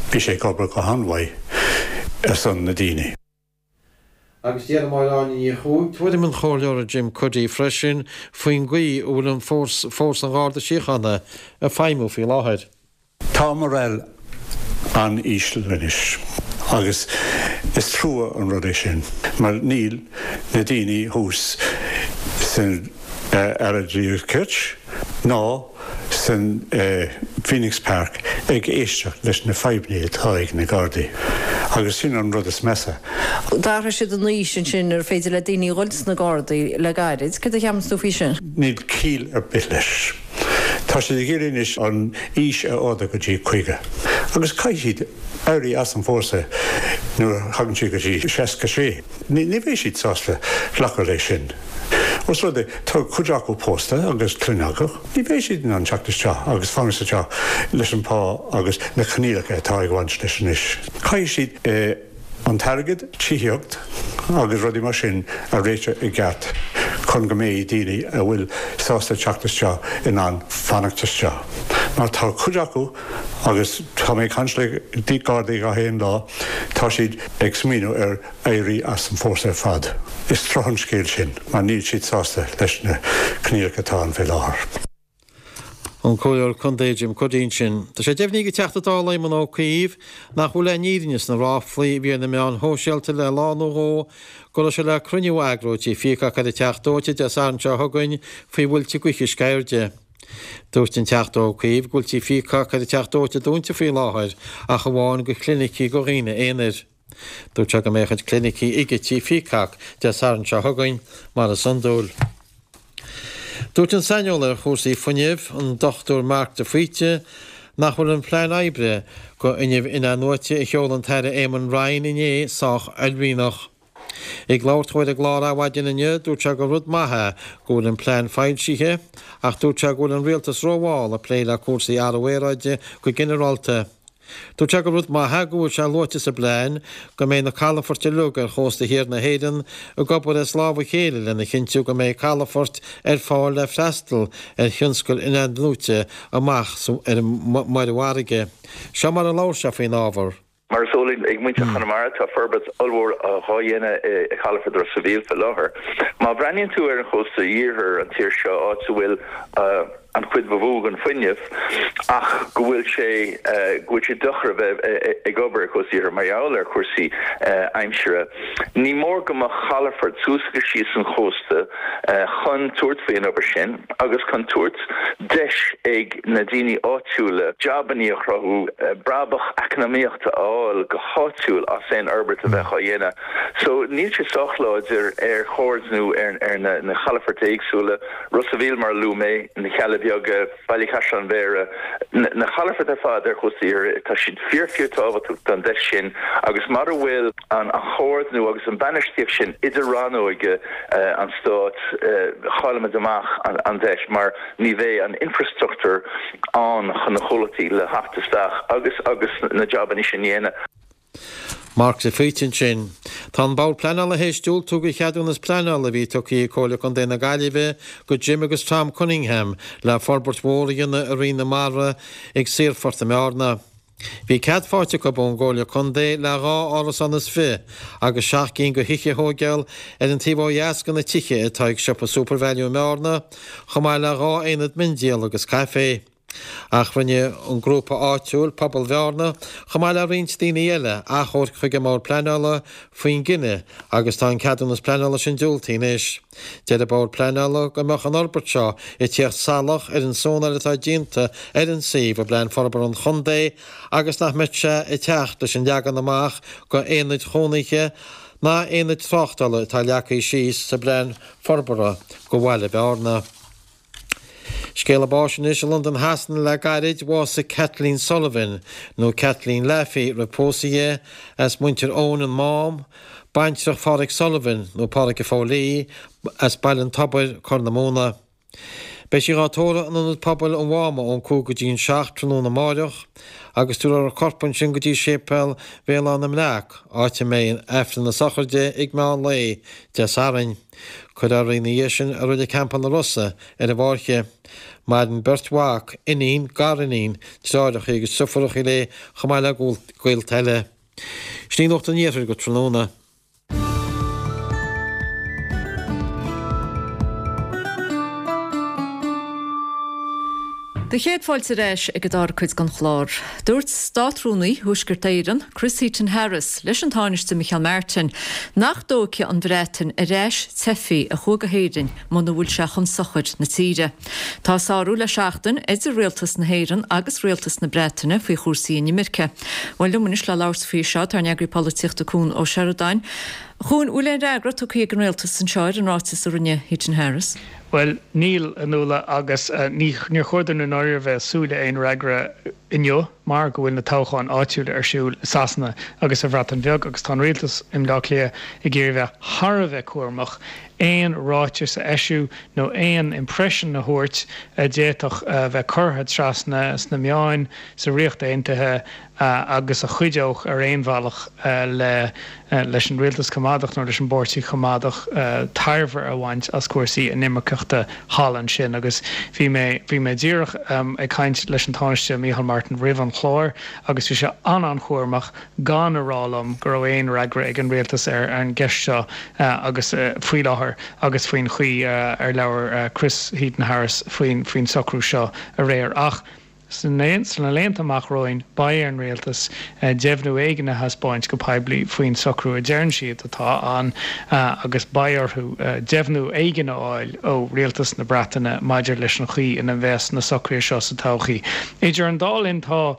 [SPEAKER 8] Bhí sé ag obair go han-mhaith ar son na daoine.
[SPEAKER 12] Agus deir Máire Áine Ní Chuaig tuairim an Chomhairleora Jim Cuddy freisin faoin gcaoi a bhfuil an fórsa an Gharda Síochána ag feidhmiú faoi láthair.
[SPEAKER 8] Tá morale an-íseal anois agus is trua an rud é sin mar níl na daoine thuas san Aire Dlí agus Cirt ná san Phoenix Park ag éisteacht leis na fadhbanna atá ag na Gardaí agus sin an rud is measa.
[SPEAKER 13] D'athraigh siad an aois ansin ar féidir le daoine dhul sna Gardaí le gairid. Cad a cheapann tú faoi sin?
[SPEAKER 8] Níl ciall ar bith leis. Tá siad ag iarraidh anois an aois a ardú go dtí caoga agus caithfidh siad éirí as an fórsa nuair a thagann siad go dtí seasca sé. Ní bheidh siad sásta glacadh leis sin. Os rud é tá cuid acu pósta agus clainn acu, ní bheidh siad in ann teacht isteach agus fanacht sa teach leis an pá agus na coinníollacha atá ag baint leis anois. Caithfidh siad an t-airgead, tithíocht agus rudaí mar sin a réiteach i gceart chun go mbeidh daoine a bhfuil sásta teacht isteach in ann fanacht isteach. Mar tá cuid acu agus tá mé ag caint le Gardaí gach aon lá, tá siad ag smaoineamh ar éirí as an fórsa ar fad. Is trua an scéal sin mar níl siad sásta leis na coinníollacha atá ann fé láthair.
[SPEAKER 12] An Comhairleoir Contae Jim Cuddy ansin. Tá sé deimhnithe ag an Teachta Dála Éamon Ó Cuív nach bhfuil aon fhírinne sna ráflaí a bhí ar na meáin shóisialta le lá nó dhó go raibh sé le cruinniú a eagrú i dTigh Pheacock ar an Teach Dóite Dé Sathairn seo chugainn faoi mhuilte gaoithe Sceirde. Dúirt an Teachta Ó Cuív go bhfuil Tigh Pheacock ar an Teach Dóite dúnta faoi láthair ach amháin go clinicí go dhaoine aonair. Dúirt sé go mbeidh a chuid clinicí ag Tigh Pheacock Dé Sathairn seo chugainn mar is iondúil. Dúirt an saineolaí ar chúrsaí fuinnimh, an Dochtúir Mark de Faoite, nach bhfuil an plean oibre go fhuinneamh in-athnuaite a sheol an tAire Eamon Ryan inné sách uaillmhianach. Ag labhairt dó ar an gclár Adhmhaidin inniu, dúirt sé gur rud maith é go bhfuil an plean foilsithe ach dúirt sé go bhfuil an rialtas rómhall ag plé le cúrsaí athrú aeráide go ginearálta. Dúirt sé gur rud maith é go bhfuil sé luaite sa bplean go mbeidh na calafoirt uilig ar chósta thiar na hÉireann ag obair as lámh a chéile lena chinntiú go mbeidh calafoirt ar fáil le freastal ar thionscal in-athnuaite amach ar an muirfharraige. Seo mar a labhair sé faoin ábhar.
[SPEAKER 14] Mar is eol ag muintir Chonamara, tá forbairt ollmhór dhá dhéanamh i Calafort Ros a' Mhíl fé láthair. Má bhreathnaíonn tú ar an chósta iarthair an tír seo, áit a bhfuil an chuid ba mhó den fuinneamh ach go bhfuil sé go bhfuil sé deacair a bheith ag obair ar chósta iarthair mar gheall ar chúrsaí aimsire. Ní mór go mbeadh calafort suas agus síos an chósta chun tabhairt faoi an obair sin agus chun tabhairt deis ag na daoine áitiúla jabannaí a chruthú, brabach eacnamaíochta a fháil go háitiúil as aon fhorbairt a bheadh á dhéanamh. So níl sé sách láidir ar chomhordnú ar na calafoirt éagsúla. Ros a' Mhíl, mar a luaigh mé, na Cealla Beaga, Baile Chaisleáin Bhéarra, na calafoirt ar fad ar chósta iarthair, tá siad fíor fíor tábhachtach don deis sin agus mura bhfuil an chomhordnú agus an bainistíocht sin idir rannóga an stáit, chaillfimid amach an deis mar ní bheidh an infrastruchtúr ann chun na comhlachtaí le theacht isteach agus agus na jabannaí sin a dhéanamh.
[SPEAKER 12] Mark de Faoite ansin. Tá an Bord Pleanála théis diúltú do cheadúnas pleanála a bhí tugtha ag Comhairle Contae na Gaillimhe go Jim agus Tom Cunningham le forbairt mhór a dhéanamh i Rinn na Mara ag Saorphort i mBearna. Bhí cead faighte acu ón gComhairle Contae le dhá árasán is fiche agus seacht gcinn de thithe a thógáil ar an taobh ó dheas de na tithe atá ag siopa Supervalu i mBearna, chomh maith le dhá aonad miondíola agus caifé. Ach rinne an grúpa áitiúil, Pobal Bhearna, chomh maith le roinnt daoine eile, achomharc chuig an mBord Pleanála faoin gcinneadh agus tá an ceadúnas pleanála sin diúltaithe anois. Deir an Bord Pleanála go mbeadh an fhorbairt seo ag tíocht salach ar an zónáil atá déanta ar an suíomh i bPlean Forbartha an Chontae agus nach mbeadh sé ag teacht leis an leagan amach go aonaid chónaithe ná aonaid tráchtála atá leagtha síos sa bPlean Forbartha go Bhaile Bhearna. Scéala báis anois i Londain Shasana le gairid, bhásaigh Kathleen Sullivan, nó Kathleen Laffey roimh pósadh di, as Muintir Eoin, an Mám, baintreach Pháraic Sullivan, nó Páraic a' Phóilí, as Baile an Tobair, Corr na Móna. Beidh sí dhá tórramh in Ionad Pobail an Mháma ón cúig go dtí an seacht tráthnóna amáireach agus tabharfar a corp ansin go dtí Séipéal Bhéal Átha na mBreac, áit a mbeidh Aifreann na sochraide ag meán lae Dé Sathairn. Cuirfear í ina dhiaidh sin i Reilig Theampall na Rosa ar an bhFáirche. Maireann beirt mhac, iníon, gariníon, deartháireacha agus deirfiúracha léi chomh maith le gaolta eile. Sin í Nuacht an Iarthair go tráthnóna.
[SPEAKER 1] Do chéad fáilte ar ais ag an dara cuid den chlár. Dúirt Státrúnaí Thuaisceart Éireann, Chris Heaton-Harris, leis an Tánaiste Micheál Martin nach dtógfaidh an Bhreatain ar ais teifigh a chuaigh go hÉirinn muna bhfuil sé chun sochair na tíre. Tá sárú le seachtain idir Rialtas na hÉireann agus Rialtas na Breataine faoi chúrsaí inimirce. Bhuel liom anois le labhairt faoi seo tá ár n-eagraí polaitíochta Cuan Ó Seireadáin. A Chuain, bhfuil aon fhreagra tugtha ag an Rialtas anseo ar an ráiteas a rinne Heaton-Harris?
[SPEAKER 15] Bhuel, níl, a Nuala, agus ní níor chóir dúinn i ndáiríre a bheith ag súil le aon fhreagra inniu mar go bhfuil na toghcháin áitiúla ar siúl i Sasana agus sa Bhreatain Bheag agus tá an rialtas i mBleá Cliath ag iarraidh bheith thar a bheith cúramach aon ráiteas a eisiú nó aon impression a thabhairt a d'fhéadfadh a bheith curtha trasna sna meáin sa Ríocht Aontaithe agus a chuideodh ar aon bhealach le leis an Rialtas Coimeádach nó leis an bPáirtí Coimeádach tairbhe a bhaint as cúrsaí inimirceachta thall ansin. Agus bhí mé bhí mé díreach ag caint leis an Tánaiste Micheál Martin roimh an chlár agus bhí sé an-an-chúramach gan a rá liom go raibh aon fhreagra ag an Rialtas ar an gceist seo agus faoi láthair agus faoin chaoi ar labhair Chris Heaton-Harris faoin faoin socrú seo aréir. Ach sna laethanta amach romhainn beidh ar an Rialtas deimhniú éigin a thaispeáint go poiblí faoin socrú a deireann siad atá ann agus beidh orthu deimhniú éigin a fháil ó Rialtas na Breataine maidir leis an chaoi ina mbeas na socruithe seo sa todhchaí. Idir an dá linn tá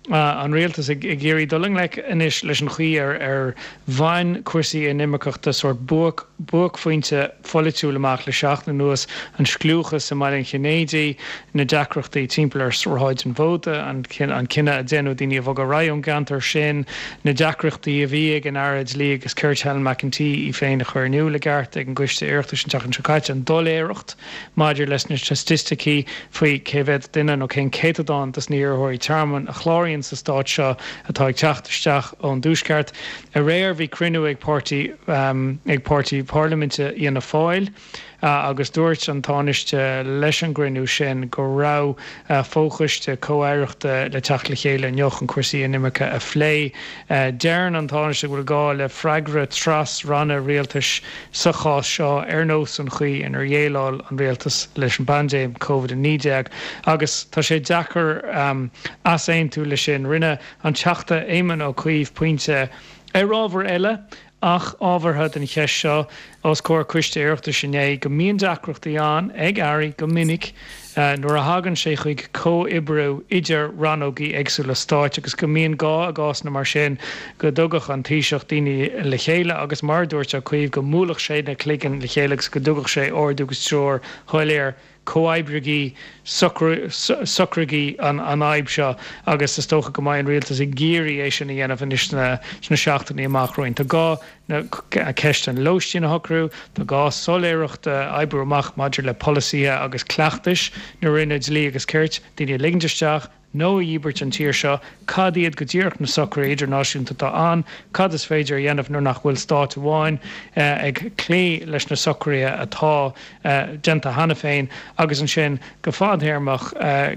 [SPEAKER 15] an rialtas ag iarraidh dul i ngleic anois leis an chaoi ar ar bhain cúrsaí inimirceachta sórt buaic buaicphointe pholaitiúil amach le seachtain anuas, an scliúchas i mBaile an Chinnéidigh, na deacrachtaí timpeall ar Shráid an Mhóta, an cinneadh a déanadh daoine a bhogadh ar aghaidh ón gceantar sin, na deacrachtaí a bhí ag an Aire Dlí agus Cirt Helen McEntee í féin a chur in iúl i gceart ag an gCoiste Oireachtais an tseachtain seo caite, an doiléireacht maidir leis na staitisticí faoi cé mhéad duine nó cén céatadán dos na hiarrthóirí tearmainn a chláraíonn sa stát seo atá ag teacht isteach ón dTuaisceart. Aréir bhí cruinniú ag páirtí ag páirtí parlaiminte Fhianna Fáil agus dúirt an Tánaiste leis an gcruinniú sin go raibh fochoiste comh-aireachta le teacht le chéile inniu chun cúrsaí inimirce a phlé. Deireann an Tánaiste go bhfuil gá le freagra tras-ranna rialtais sa chás seo ar nós an chaoi inar dhéileáil an rialtas leis an bpaindéim Covid a naoi déag agus tá sé deacair easaontú leis sin. Rinne an Teachta Éamon Ó Cuív pointe ar ábhar eile ach ábhartha don cheist seo os comhair Coiste Oireachtais inné go mbíonn deacrachtaí ann ag airí go minic nuair a thagann sé chuig comhoibriú idir rannógaí éagsúla stáit agus go mbíonn gá i gcásanna mar sin go dtugadh an Taoiseach daoine le chéile agus mar a dúirt Ó Cuív go mbuailfeadh sé na cloigne le chéile agus go dtugadh sé ordú agus treoir shoiléir comhoibrigí, socraígí an fhadhb seo agus is dócha go mbeidh an rialtas ag iarraidh é sin a dhéanamh anois sna seachtainí amach romhainn. Tá gá ceist an lóistín a shocrú, tá gá soiléireacht a oibriú amach maidir le polasaithe agus cleachtais na Roinne Dlí agus Cirt, daoine a ligint isteach, nó a dhíbirt an tír seo, cad iad go díreach na socruithe idirnáisiúnta atá ann, cad is féidir a dhéanamh nuair nach bhfuil stát amháin ag cloí leis na socruithe atá déanta cheana féin, agus ansin go fadthéarmach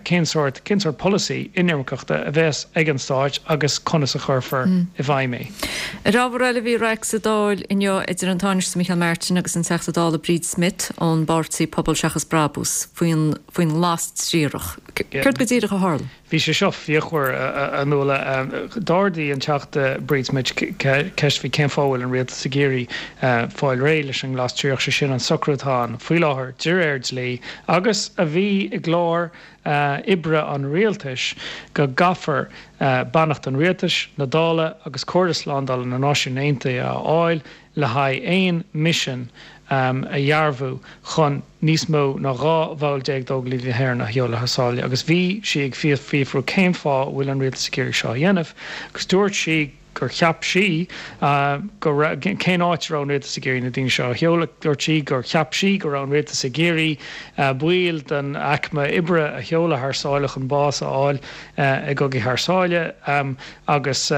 [SPEAKER 15] cén sórt, cén sórt polasaí inimirceachta a bheas ag an stáit agus conas a chuirfear i bhfeidhm é.
[SPEAKER 1] Ar ábhar eile bhí raic sa Dáil inniu idir an Tánaiste Micheál Martin agus an Teachta Dála Bríd Smith ón bpáirtí Pobal Seachas Brabús faoin faoin nglas triarach. Céard go díreach a tharla?
[SPEAKER 15] Bhí sé seo fíochmhar, a Nuala. D'ardaigh an Teachta Bríd Smith ceist faoi cén fáth a bhfuil an rialtas ag iarraidh fáil réidh leis an nglas triarach, sé sin an socrú atá ann faoi láthair de réir dlí agus a bhí i gclár oibre an rialtais go gcaithfear beannacht an rialtais, na Dála agus Comhairle Slándála na Náisiún Aontaithe a fháil le haghaidh aon mhisean a dhearbhú chun níos mó ná dhá bhall déag d'Óglaigh na hÉireann a sheoladh thar sáile agus bhí sí ag fiafrú cén fáth a bhfuil an rialtas ag iarraidh seo a dhéanamh agus dúirt sí gur cheap sí go raibh, cén áit a raibh an rialtas ag iarraidh na daoine seo a sheoladh, dúirt sí gur cheap sí go raibh an rialtas ag iarraidh baill den aicme oibre a sheoladh thar sáile chun bás a fháil i gcogaí thar sáile agus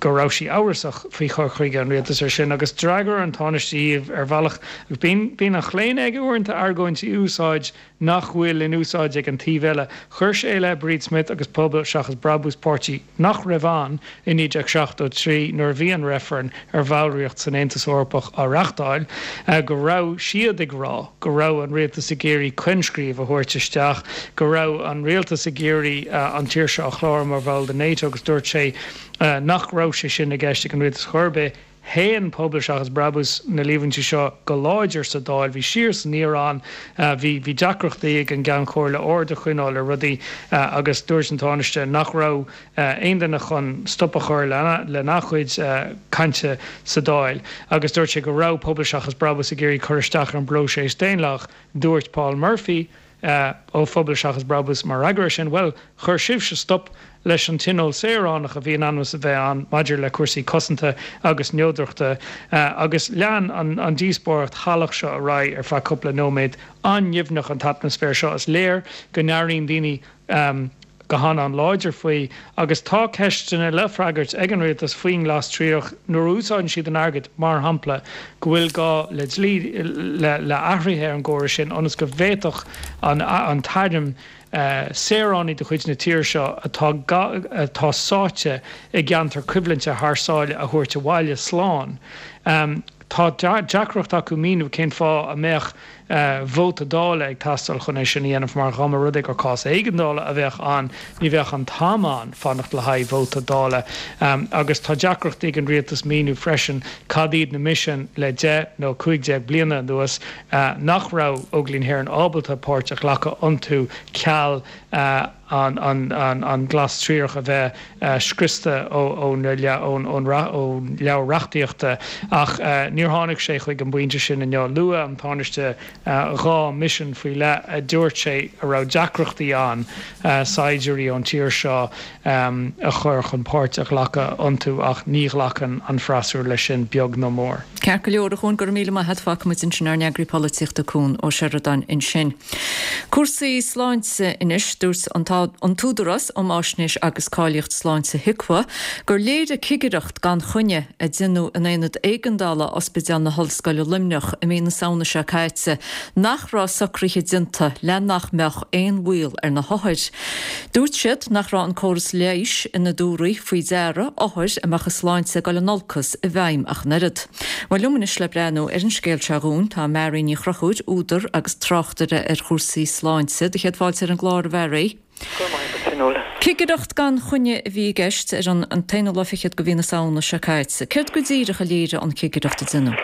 [SPEAKER 15] go raibh sí amhrasach faoi chur chuige an rialtais ar sin agus d'fhreagair an Tánaiste í ar bhealach agus bíonn bíonn an chlaonadh aige uaireanta argóintí a úsáid nach bhfuil in úsáid ag an taobh eile. Chuir sé i leith Bríd Smith agus Pobal Seachas Brabús, páirtí nach raibh ann i naoi déag seachtó trí nuair a bhí an reifreann ar bhallraíocht san Aontas Eorpach á reáchtáil, go raibh siad ag rá go raibh an rialtas ag iarraidh coinscríobh a thabhairt isteach, go raibh an rialtas ag iarraidh an tír seo a chlárú mar bhall de NATO agus dúirt sé nach raibh sé sin i gceist ag an rialtas chor ar bith. Shéan Pobal Seachas Brabús na líomhaintí seo go láidir sa Dáil. Bhí siar is aniar ann. Bhí bhí deacrachtaí ag an gCeann Comhairle ord a choinneáil ar rudaí agus dúirt an Tánaiste nach raibh aon duine chun stop a chur lena chuid cainte sa Dáil agus dúirt sé go raibh Pobal Seachas Brabús ag iarraidh cur isteach ar an bpróiseas daonlathach. Dúirt Paul Murphy ó Phobal Seachas Brabús mar fhreagra air sin, Bhuel, chuir sibhse stop leis an Tionól Saoránach a bhí in ainm is a bheith ann maidir le cúrsaí cosanta agus neodrachta agus lean an díospóireacht shalach seo ar aghaidh ar feadh cúpla nóiméad. An-nimhneach an t-atmaisféar seo. Is léir go n-airíonn daoine go han-an-láidir faoi agus tá ceisteanna le freagairt ag an rialtas faoin nglas triarach nuair a úsáideann siad an airgead, mar shampla, go bhfuil gá le dlí, le athruithe ar an gcóras sin ionas go bhféadfadh an t-arm saoránaigh de chuid na tíre seo atá atá sáite i gceantar coimhlinte thar sáile a thabhairt abhaile slán. Tá deacracht acu míniú cén fáth a mbeadh vóta Dála ag teastáil chun é sin a dhéanamh mar dá mba rud é gur cás éigeandála a bheadh ann ní bheadh an t-am ann fanacht le haghaidh vóta Dála. Agus tá deacrachtaí ag an rialtas míniú freisin cad iad na misin le deich nó cúig déag bliana anuas nach raibh Óglaigh na hÉireann ábalta páirt a ghlacadh iontu ceal an glas triarach a bheith scriosta ón leabhar reachtaíochta ach níor tháinig sé chuig an bpointe sin inniu. Luaigh an Tánaiste dhá mhisean faoi leith a dúirt sé a raibh deacrachtaí ann saighdiúirí ón tír seo a chur chun páirt a ghlacadh iontu ach ní ghlacann an freasúra leis sin beag ná mór.
[SPEAKER 1] Ceart go leor, a Chuain, go raibh míle maith agat. Fágfaimid ansin ár n-eagraí polaitíochta Cuan Ó Seireadáin ansin. Cúrsaí sláinte anois, dúirt an tÚdarás um Fháisnéis agus Cáilíocht Sláinte, HIQA, gur léirigh cigireacht gan choinne a déanadh in aonad éigeandála Ospidéal na hOllscoile Luimneach i mí na Samhna seo caite nach raibh socruithe déanta le nach mbeadh aon bhaol ar na hothair. Dúirt siad nach raibh an córas leighis ina dtabharfaí faoi deara othair a mbeadh a sláinte ag dul in olcas i bhfeidhm ach an oiread. Bhuel, liom anois le breathnú ar an scéal seo dhúinn tá Mary Ní Chonchúir, údar agus tráchtaire ar chúrsaí sláinte. Do chéad fáilte ar an gclár, a Mhary.
[SPEAKER 16] Go raibh maith agat, Fionnuala.
[SPEAKER 1] Cigireacht gan choinne a bhí i gceist ar an t-aonú lá fichead de mhí na Samhna seo caite. Céard go díreach a léirigh an chigireacht a déanadh?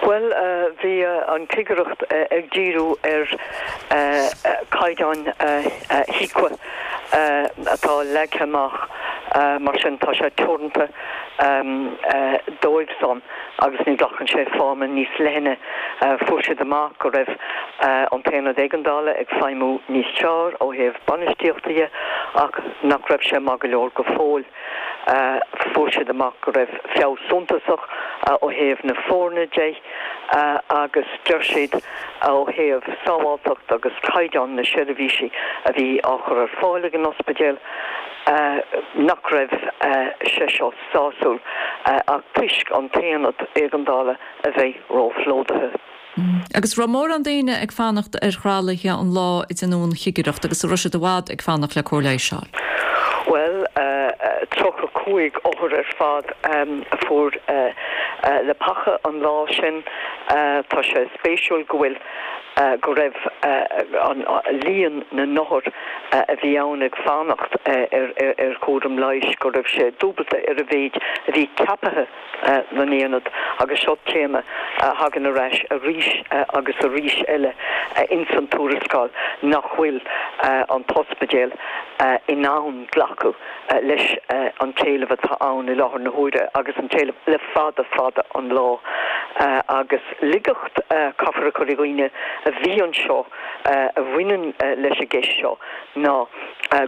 [SPEAKER 16] Bhuel, bhí an chigireacht ag díriú ar chaighdeáin HIQA atá leagtha amach, mar sin tá sé teoranta dóibh san agus ní ghlacann sé feidhm níos leithne. Fuair siad amach go raibh an t-aonad éigeandála ag feidhmiú níos fearr ó thaobh bainistíochta dhe ach nach raibh sé maith go leor go fóill. Fuair siad amach go raibh feabhas suntasach ó thaobh na foirne de agus deir siad ó thaobh sábháilteacht agus caighdeán na seirbhísí a bhí á chur ar fáil ag an ospidéal nach raibh sé seo sásúil ach toisc an t-aonad éigeandála a bheith róphlódaithe.
[SPEAKER 1] Agus raibh mórán daoine ag fanacht ar thralaithe an lá a deineadh an chigireacht agus an raibh siad i bhfad ag fanacht le cóir leighis a fháil?
[SPEAKER 16] Bhuel, tríocha cúig othar ar fad a fuair leapacha an lá sin. Tá sé spéisiúil go bhfuil go raibh an líon na n-othar a bhí ann ag fanacht ar chúram leighis, go raibh sé dúbalta ar a mhéid a bhí ceaptha don aonad agus seo téama a thagann ar ais arís agus arís eile ins an tuarascáil nach bhfuil an t-ospidéal in ann glacadh leis an t-éileamh atá ann i láthair na huaire agus an t-éileamh le fada fada an lá agus laigeacht caithfear a chur i gcuimhne a bhí anseo a bhaineann leis an gceist seo ná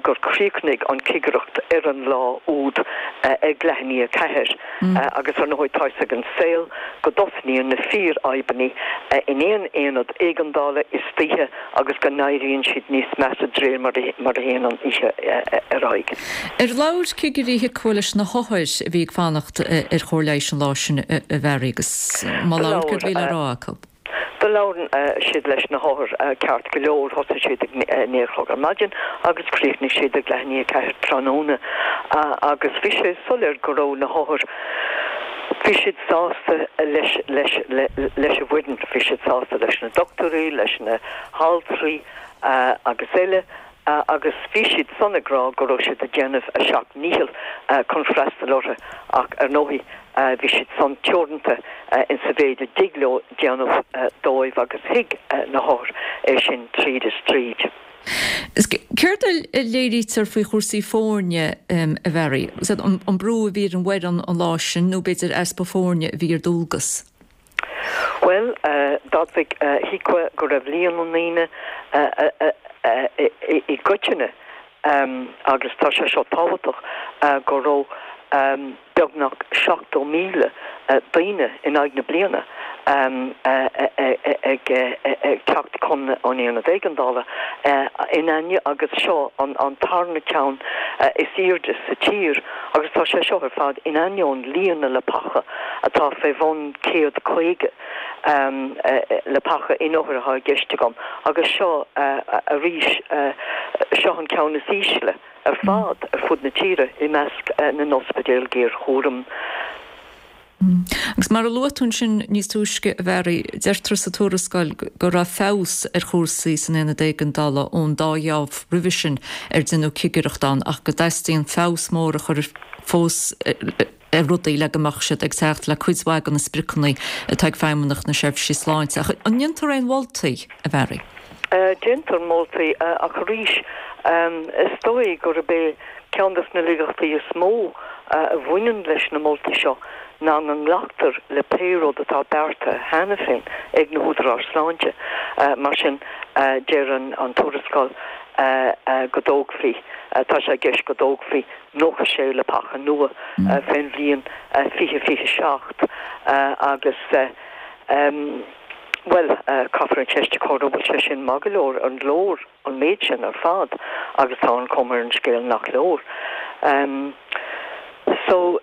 [SPEAKER 16] gur chríochnaigh an chigireacht ar an lá úd ag leath i ndiaidh a ceathair agus ar ndóigh tá a fhios ag an saol go dtosnaíonn na fíorfhadhbanna in aon aonad éigeandála istoíche agus go n-éiríonn siad níos measa de réir mar a théann an oíche ar aghaidh.
[SPEAKER 1] Ar labhair cigirí HIQA leis na hothair a bhí ag fanacht ar chóir leighis an lá sin a Mhary agus má labhair céard a bhí le rá acu?
[SPEAKER 16] Do labhair siad leis na hothair ceart go leor, thosaigh siad ag naoi a chlog ar maidin agus chríochnaigh siad ag leath i ndiaidh a ceathair tráthnóna agus bhí sé soiléir go raibh na hothair, bhí siad sásta leis leis leis an bhfoireann, bhí siad sásta leis na dochtúirí, leis na haltraí agus eile agus bhí siad san ag rá go raibh siad ag déanamh a seacht ndícheall chun freastal orthu ach ar ndóigh bhí siad san teoranta in sa mhéid a dtig leo déanamh dóibh agus thuig na hothair é sin tríd is tríd.
[SPEAKER 1] Céard a léirítear faoi chúrsaí foirne a Mhary? An brú a bhí ar an bhfoireann an lá sin nó b'fhéidir easpa foirne a bhí ar dualgas?
[SPEAKER 16] Bhuel, d'admhaigh HIQA go raibh líon na ndaoine i gcoitinne, agus tá sé seo tábhachtach, go raibh beagnach seachtó míle daoine in aghaidh na bliana ag teacht chun an aonaid éigeandála in ainne agus seo an tarna ceann is airde sa tír agus tá sé seo ar fad in ainneoin líon na leapacha atá fé bhun céad caoga leapacha in othair atá i gceist agam agus seo arís seo an ceann is ísle ar fad ar fud na tíre i measc na n-ospidéal géarchúraim.
[SPEAKER 1] Agus mar a luaigh tú ansin níos túisce, a Mhary, deirtear sa tuarascáil go raibh feabhas ar chúrsaí san aonad éigeandála ón dá gheábh roimhe sin ar deineadh cigireacht ann ach go dteastaíonn feabhas mór a chur fós ar rudaí le go mbeadh siad ag teacht le cuid mhaith de na spriocanna atá ag Feidhmeannacht na Seirbhíse Sláinte. Ach an ndéantar aon mholtaí, a Mhary?
[SPEAKER 16] Déantar moltaí ach arís is dóigh gurb é ceann de na laigeachtaí is mó a bhaineann leis na moltaí seo ná go nglactar le pé rud atá beartaithe cheana féin ag na húdaráis sláinte. Mar sin, deir an tuarascáil go dtógfaí, tá sé i gceist go dtógfaí nócha sé leapacha nua fén bhliain fiche fiche seacht agus, bhuel, caithfear an cheist a chur an bhfuil sé sin maith go leor, an leor an méid sin ar fad agus tá an chuma ar an scéal nach leor. So,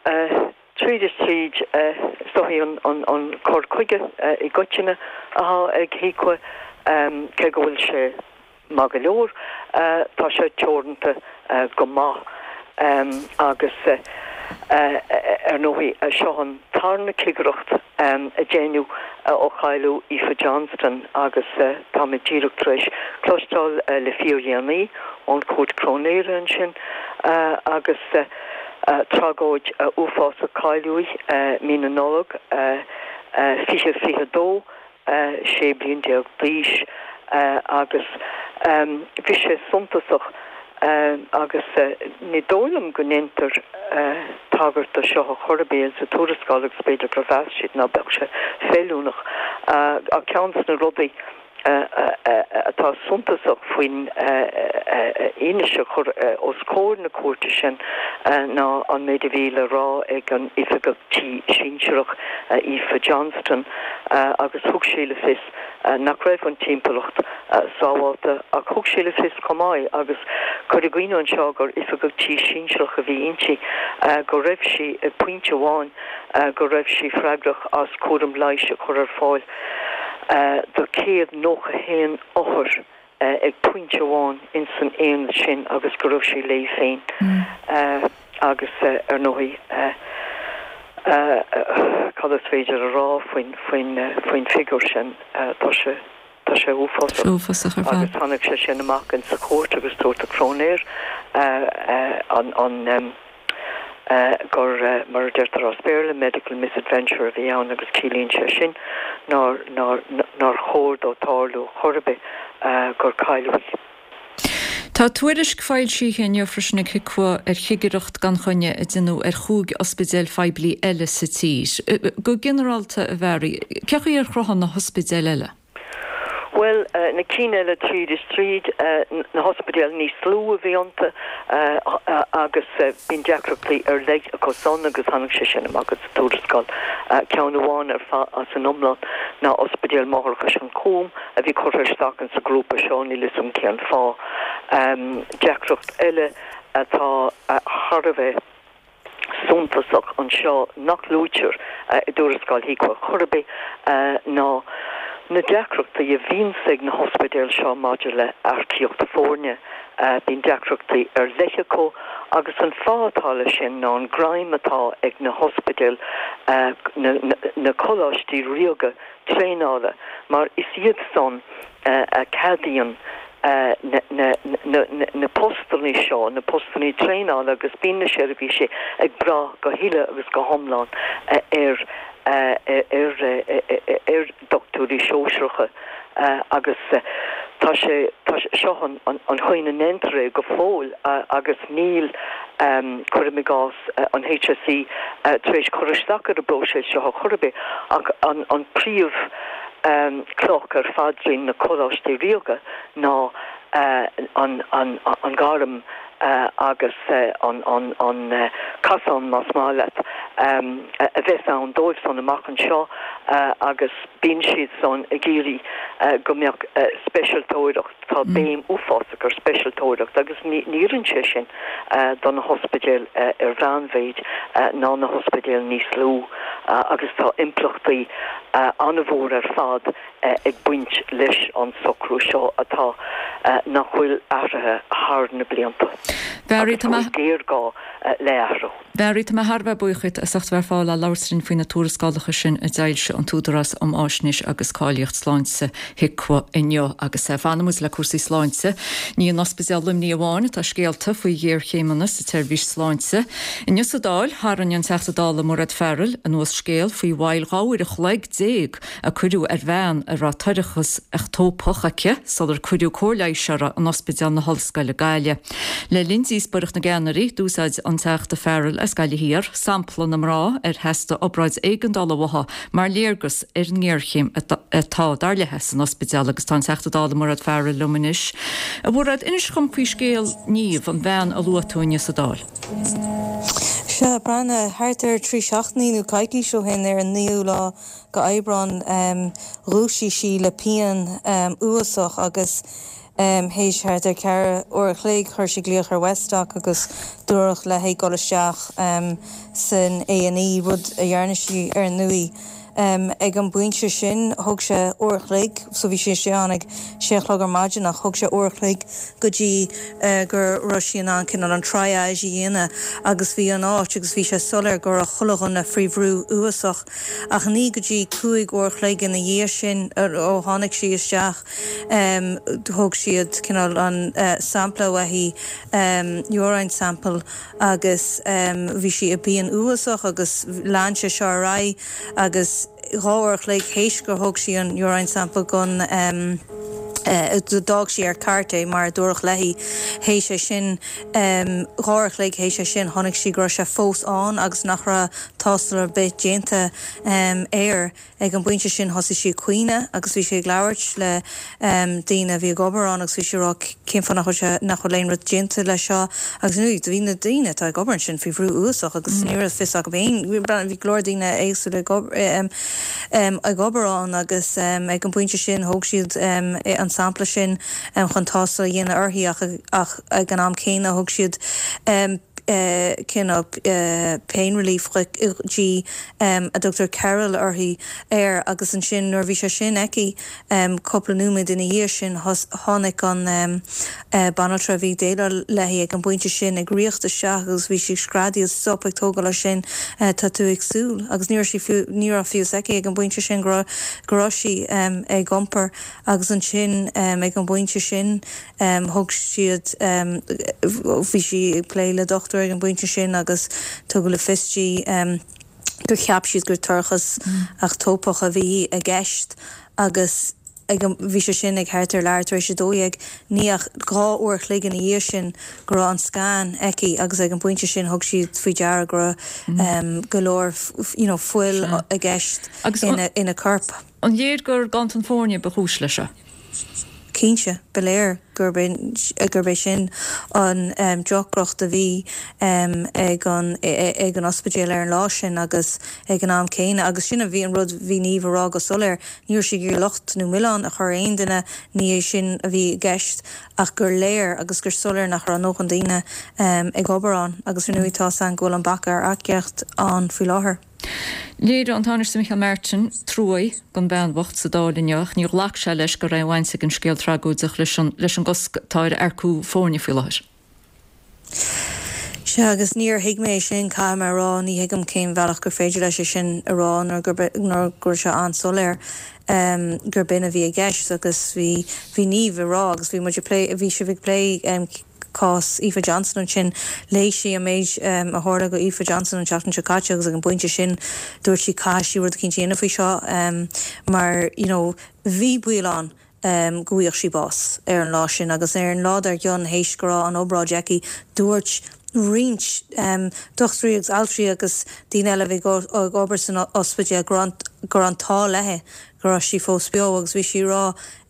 [SPEAKER 16] tríd is tríd, is dóigh an cur chuige i gcoitinne atá ag HIQA, cé go bhfuil sé maith go leor, tá sé teoranta go maith agus ar ndóigh seo an tarna cigireacht a deineadh ó cailleadh Aoife Johnston agus táimid díreach tar éis cloisteáil le fíordhéanaí ón Chúirt Cróinéara ansin agus tragóid uafásach cailleadh í mí na Nollag fiche fiche dó, sé bliain déag d'aois agus bhí sé suntasach agus ní dóigh liom go ndéantar tagairt do seo ar chor ar bith sa tuarascáil agus b'fhéidir gur mheas siad ná beadh sé feiliúnach ach ceann de na rudaí atá suntasach faoin fhianaise a chur os comhair na cúirte sin ná an méid a bhí le rá ag an Oifigeach Tí Sinsearach Aoife Johnston agus thug sí le fios nach raibh an timpeallacht sábháilte ach thug sí le fios chomh maith agus cuir i gcuimhne anseo gur Oifigeach Tí Sinsearach a bhí inti go raibh sí ag pointe amháin go raibh sí freagrach as cúram leighis a chur ar fáil do céad nócha haon othar ag pointe amháin ins an aonad sin agus go raibh sí léi féin agus ar ndóigh cad is féidir a rá faoin faoin faoin figiúr sin tá sé tá sé uafásach.
[SPEAKER 1] Uafásach ar fad.
[SPEAKER 16] Agus tháinig sé sin amach in sa chúirt agus dúirt an cróinéir an an gur mar a deirtear as Béarla medical misadventure a bhí ann agus ciallaíonn sé sin nár nár nár chóir dó tarlú chor ar bith gur cailleadh í.
[SPEAKER 1] Tá tuairisc foilsithe inniu freisin ag HIQA ar chigireacht gan choinne a deineadh ar chúig ospidéal phoiblí eile sa tír. Go ginearálta, a Mhary, cé chaoi ar chruthaigh na hospidéil eile?
[SPEAKER 16] Bhuel, na cinn eile tríd is tríd, na hospidéil níos lú a bhí iontu agus bíonn deacrachtaí ar leith acu san agus tháinig sé sin amach sa tuarascáil. Ceann amháin ar fad as an iomlán ná Ospidéal Máithreachais an Chúim a bhí curtha isteach in sa ghrúpa seo, níl 'fhios a'm cén fáth. Deacracht eile atá thar a bheith suntasach anseo nach luaitear i dtuarascáil HIQA chor ar bith ná na deacrachtaí a bhíonns ag na hospidéil seo maidir le earcaíocht foirne. Bíonn deacrachtaí ar leith acu agus an fáth atá leis sin ná an greim atá ag na hospidéil, na coláistí ríoga traenála, mar is iad san a cheadaíonn na postanna seo, na postanna traenála agus bíonn na seirbhísí ag brath go huile agus go hiomlán ar ar dochtúirí sóisearacha agus tá sé seo an an chaoi a ndéantar é go fóill agus níl cuirim i gcás an H S E tar éis cur isteach ar an bpróiseas seo chor ar bith ach an an príomh cloch ar phaidrín na coláistí ríoga ná an an an gairm agus an an an casán más maith leat a bheas ann dóibh san amach anseo agus bíonn siad san ag iarraidh go mbeadh speisialtóireacht, tá béim uafásach ar speisialtóireacht agus ní oireann sé sin do na hospidéil ar mheánmhéid ná na hospidéil níos lú agus tá impleachtaí an-mhór ar fad ag baint leis an socrú seo atá nach bhfuil athraithe thar na blianta.
[SPEAKER 1] Mary, tá
[SPEAKER 16] mé géarghá le athrú.
[SPEAKER 1] Mary, tá mé thar a bheith buíoch díot as ucht bheith ar fáil le labhairt linn faoi na tuarascálacha sin a d'fhoilsigh an tÚdarás um Fháisnéis agus Cáilíocht Sláinte HIQA inniu agus fanfaimid le cúrsaí sláinte. Ní in Ospidéal Luimnigh amháin atá scéalta faoi ghéarchéimeanna sa tseirbhís sláinte. Inniu sa Dáil, tharraing an Teachta Dála Mairéad Farrell anuas scéal faoi mhoill dhá uair a chloig déag a cuireadh ar bhean a raibh toircheas eachtópach aici sular cuireadh cóir leighis uirthi in Ospidéal na hOllscoile Gaillimh. Le linn díospóireacht na gceannairí, d'úsáid an Teachta Farrell as Gaillimh Thiar sampla na mná ar theastaigh obráid éigeandála uaithi mar léargas ar an ngéarchéim atá dar léi san ospidéal agus tá an Teachta Dála Mairéad Farrell liom anois. A Mhairéad, inis dhom faoi scéal Niamh, an bhean a luaigh tú inniu sa Dáil.
[SPEAKER 17] Sea, Breandán, thart ar trí seachtainí nó coicís ó shin ar an naoú lá go Aibreán dhúisigh sí le pian uafásach agus théis thart ar ceithre uair a chloig chuir sí glaoch ar Westdoc agus dúradh léi dul isteach san A and E, rud a dhearna sí ar ndóigh. Ag an bpointe sin thóg sé uair a chloig, so bhí sí istigh ann ag sé a chlog ar maidin ach thóg sé uair a chloig go dtí go raibh sí in ann cineál an triage a dhéanamh agus bhí an áit agus bhí sé soiléir go raibh chuile dhuine faoi bhrú uafásach ach ní go dtí cúig uair a chloig ina dhiaidh sin ó tháinig sí isteach thóg siad cineál an sampla uaithi, urine sample agus bhí sí i bpian uafásach agus lean sé seo ar aghaidh agus dhá uair a chloig théis gur thóg sí an urine sample gon um, D'fhág sí ar cairt é mar a dúradh léi. Théis é sin, dhá uair a chloig théis é sin, chonaic sí go raibh sé fós ann agus nach raibh tástáil ar bith déanta air. Ag an bpointe sin thosaigh sí ag caoineadh agus bhí sí ag labhairt le daoine a bhí ag obair ann agus bhí sí ag rá cén fáth nach bhfuil sé, nach bhfuil aon rud déanta leis seo agus ar ndóigh bhí na daoine atá ag obair ansin faoi bhrú uafásach agus ní raibh fios acu féin, bhí go leor daoine éagsúla ag ag obair ann agus ag an bpointe sin thóg siad an sampla sin chun tástáil a dhéanamh uirthi ach ach ag an am céanna thug siad cineál pain relief di a dtugtar Kerol uirthi air agus ansin nuair a bhí sé sin aici cúpla nóiméad ina dhiaidh sin tháinig an banaltra a bhí ag déileáil léi ag an bpointe sin ag ritheacht isteach agus bhí sí ag screadaíl stop ag tógáil as sin tá tú ag súil agus ní raibh sí fiú ní raibh fios aici ag an bpointe sin go raibh go raibh sí ag iompar agus ansin ag an bpointe sin thug siad bhí sí ag plé le dochtúir ag an bpointe sin agus tugadh le fios di gur cheap siad gur toircheas eachtópach a bhí i gceist agus ag an bhí sé sin ag thart ar leathuair tar éis a dó dhéag ní ach dhá uair a chloig ina dhiaidh sin go raibh an scan aici agus ag an bpointe sin thug siad faoi deara go raibh go leor you know fuil i gceist ina ina corp.
[SPEAKER 1] An léir gur ganntan foirne ba chúis leis seo?
[SPEAKER 17] Cinnte, ba léir gurb gurb é sin an deacracht a bhí ag an ag an ospidéal ar an lá sin agus ag an am céanna agus sin a bhí an rud bhí Niamh a rá go soiléir, ní raibh sí ag iarraidh locht nó milleán a chur ar aon duine, ní é sin a bhí i gceist ach gur léir agus gur soiléir nach raibh a ndóthain daoine ag obair ann agus ar ndóigh tá 's againn go bhfuil an bac ar earcaíocht ann faoi láthair.
[SPEAKER 1] Léirigh an Tánaiste Micheál Martin trua don bhean bhocht sa Dáil inniu ach níor ghlac sé leis go raibh aon bhaint ag an scéal tragóideach leis an leis an gcosc atá ar earcú foirne faoi láthair.
[SPEAKER 17] Sea, agus níor thuig mé é sin, caithfidh mé a rá, ní thuigim cén bhealach gur féidir leis é sin a rá nuair gurb nuair go raibh sé an-soiléir gurb in a bhí i gceist agus bhí bhí Niamh ag rá agus bhí muid ag plé bhí sibh ag plé cás Aoife Johnson ansin. Léigh sí an méid a tharla go Aoife Johnson an tseachtain seo caite agus ag an bpointe sin dúirt sí caithfidh sí rud eicínt a dhéanamh faoi seo mar you know bhí baol ann go bhfaigheadh sí bás ar an lá sin agus ar an lá dár gcionn théis go raibh an obráid aici dúirt roinnt dochtúirí agus altraí agus daoine eile a bhí ag obair san ospidéal go raibh go raibh an t-ádh léi go raibh sí fós beo agus bhí sí ag rá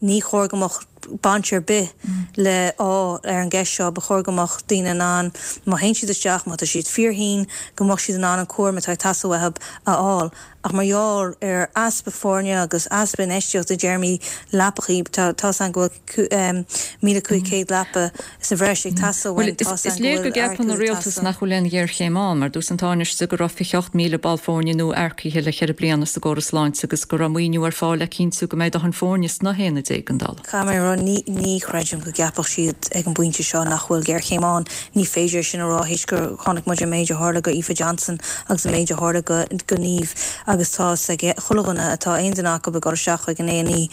[SPEAKER 17] ní chóir go mbeadh baint ar bith le ádh ar an gceist seo, ba chóir go mbeadh daoine in ann, má théann siad isteach, má tá siad fíorthinn, go mbeadh siad in ann an cúram atá ag teastáil uathu a fháil. Ach mar gheall ar easpa foirne agus easpa infheistíochta i dtéarmaí leapachaí, tá tá's againn go bhfuil míle cúig chéad leapa sa bhreis ag teastáil
[SPEAKER 1] Bhuel,
[SPEAKER 17] uainn, tá's
[SPEAKER 1] is
[SPEAKER 17] againn go
[SPEAKER 1] léir go
[SPEAKER 17] bhfuil
[SPEAKER 1] gceapann
[SPEAKER 17] earcú
[SPEAKER 1] an
[SPEAKER 17] ag
[SPEAKER 1] rialtas
[SPEAKER 17] teastáil.
[SPEAKER 1] nach bhfuil aon ghéarchéim ann, mar dúirt an Tánaiste go raibh fiche ocht míle ball foirne nua earcaithe le ceithre bliana sa gcóras sláinte agus go raibh maoiniú ar fáil le cinntiú go mbeidh dóthain foirne sna haonaid éigeandála.
[SPEAKER 17] Caithfidh mé a rá, ní, ní chreidim go gceapfadh siad ag an bpointe seo nach bhfuil géarchéim ann. Ní féidir é sin a rá théis gur chonaic muid an méid a tharla go Aoife Johnson agus an méid a tharla go, go Niamh agus tá 's ag chuile dhuine atá aon duine acu ag dul isteach chuig an A and E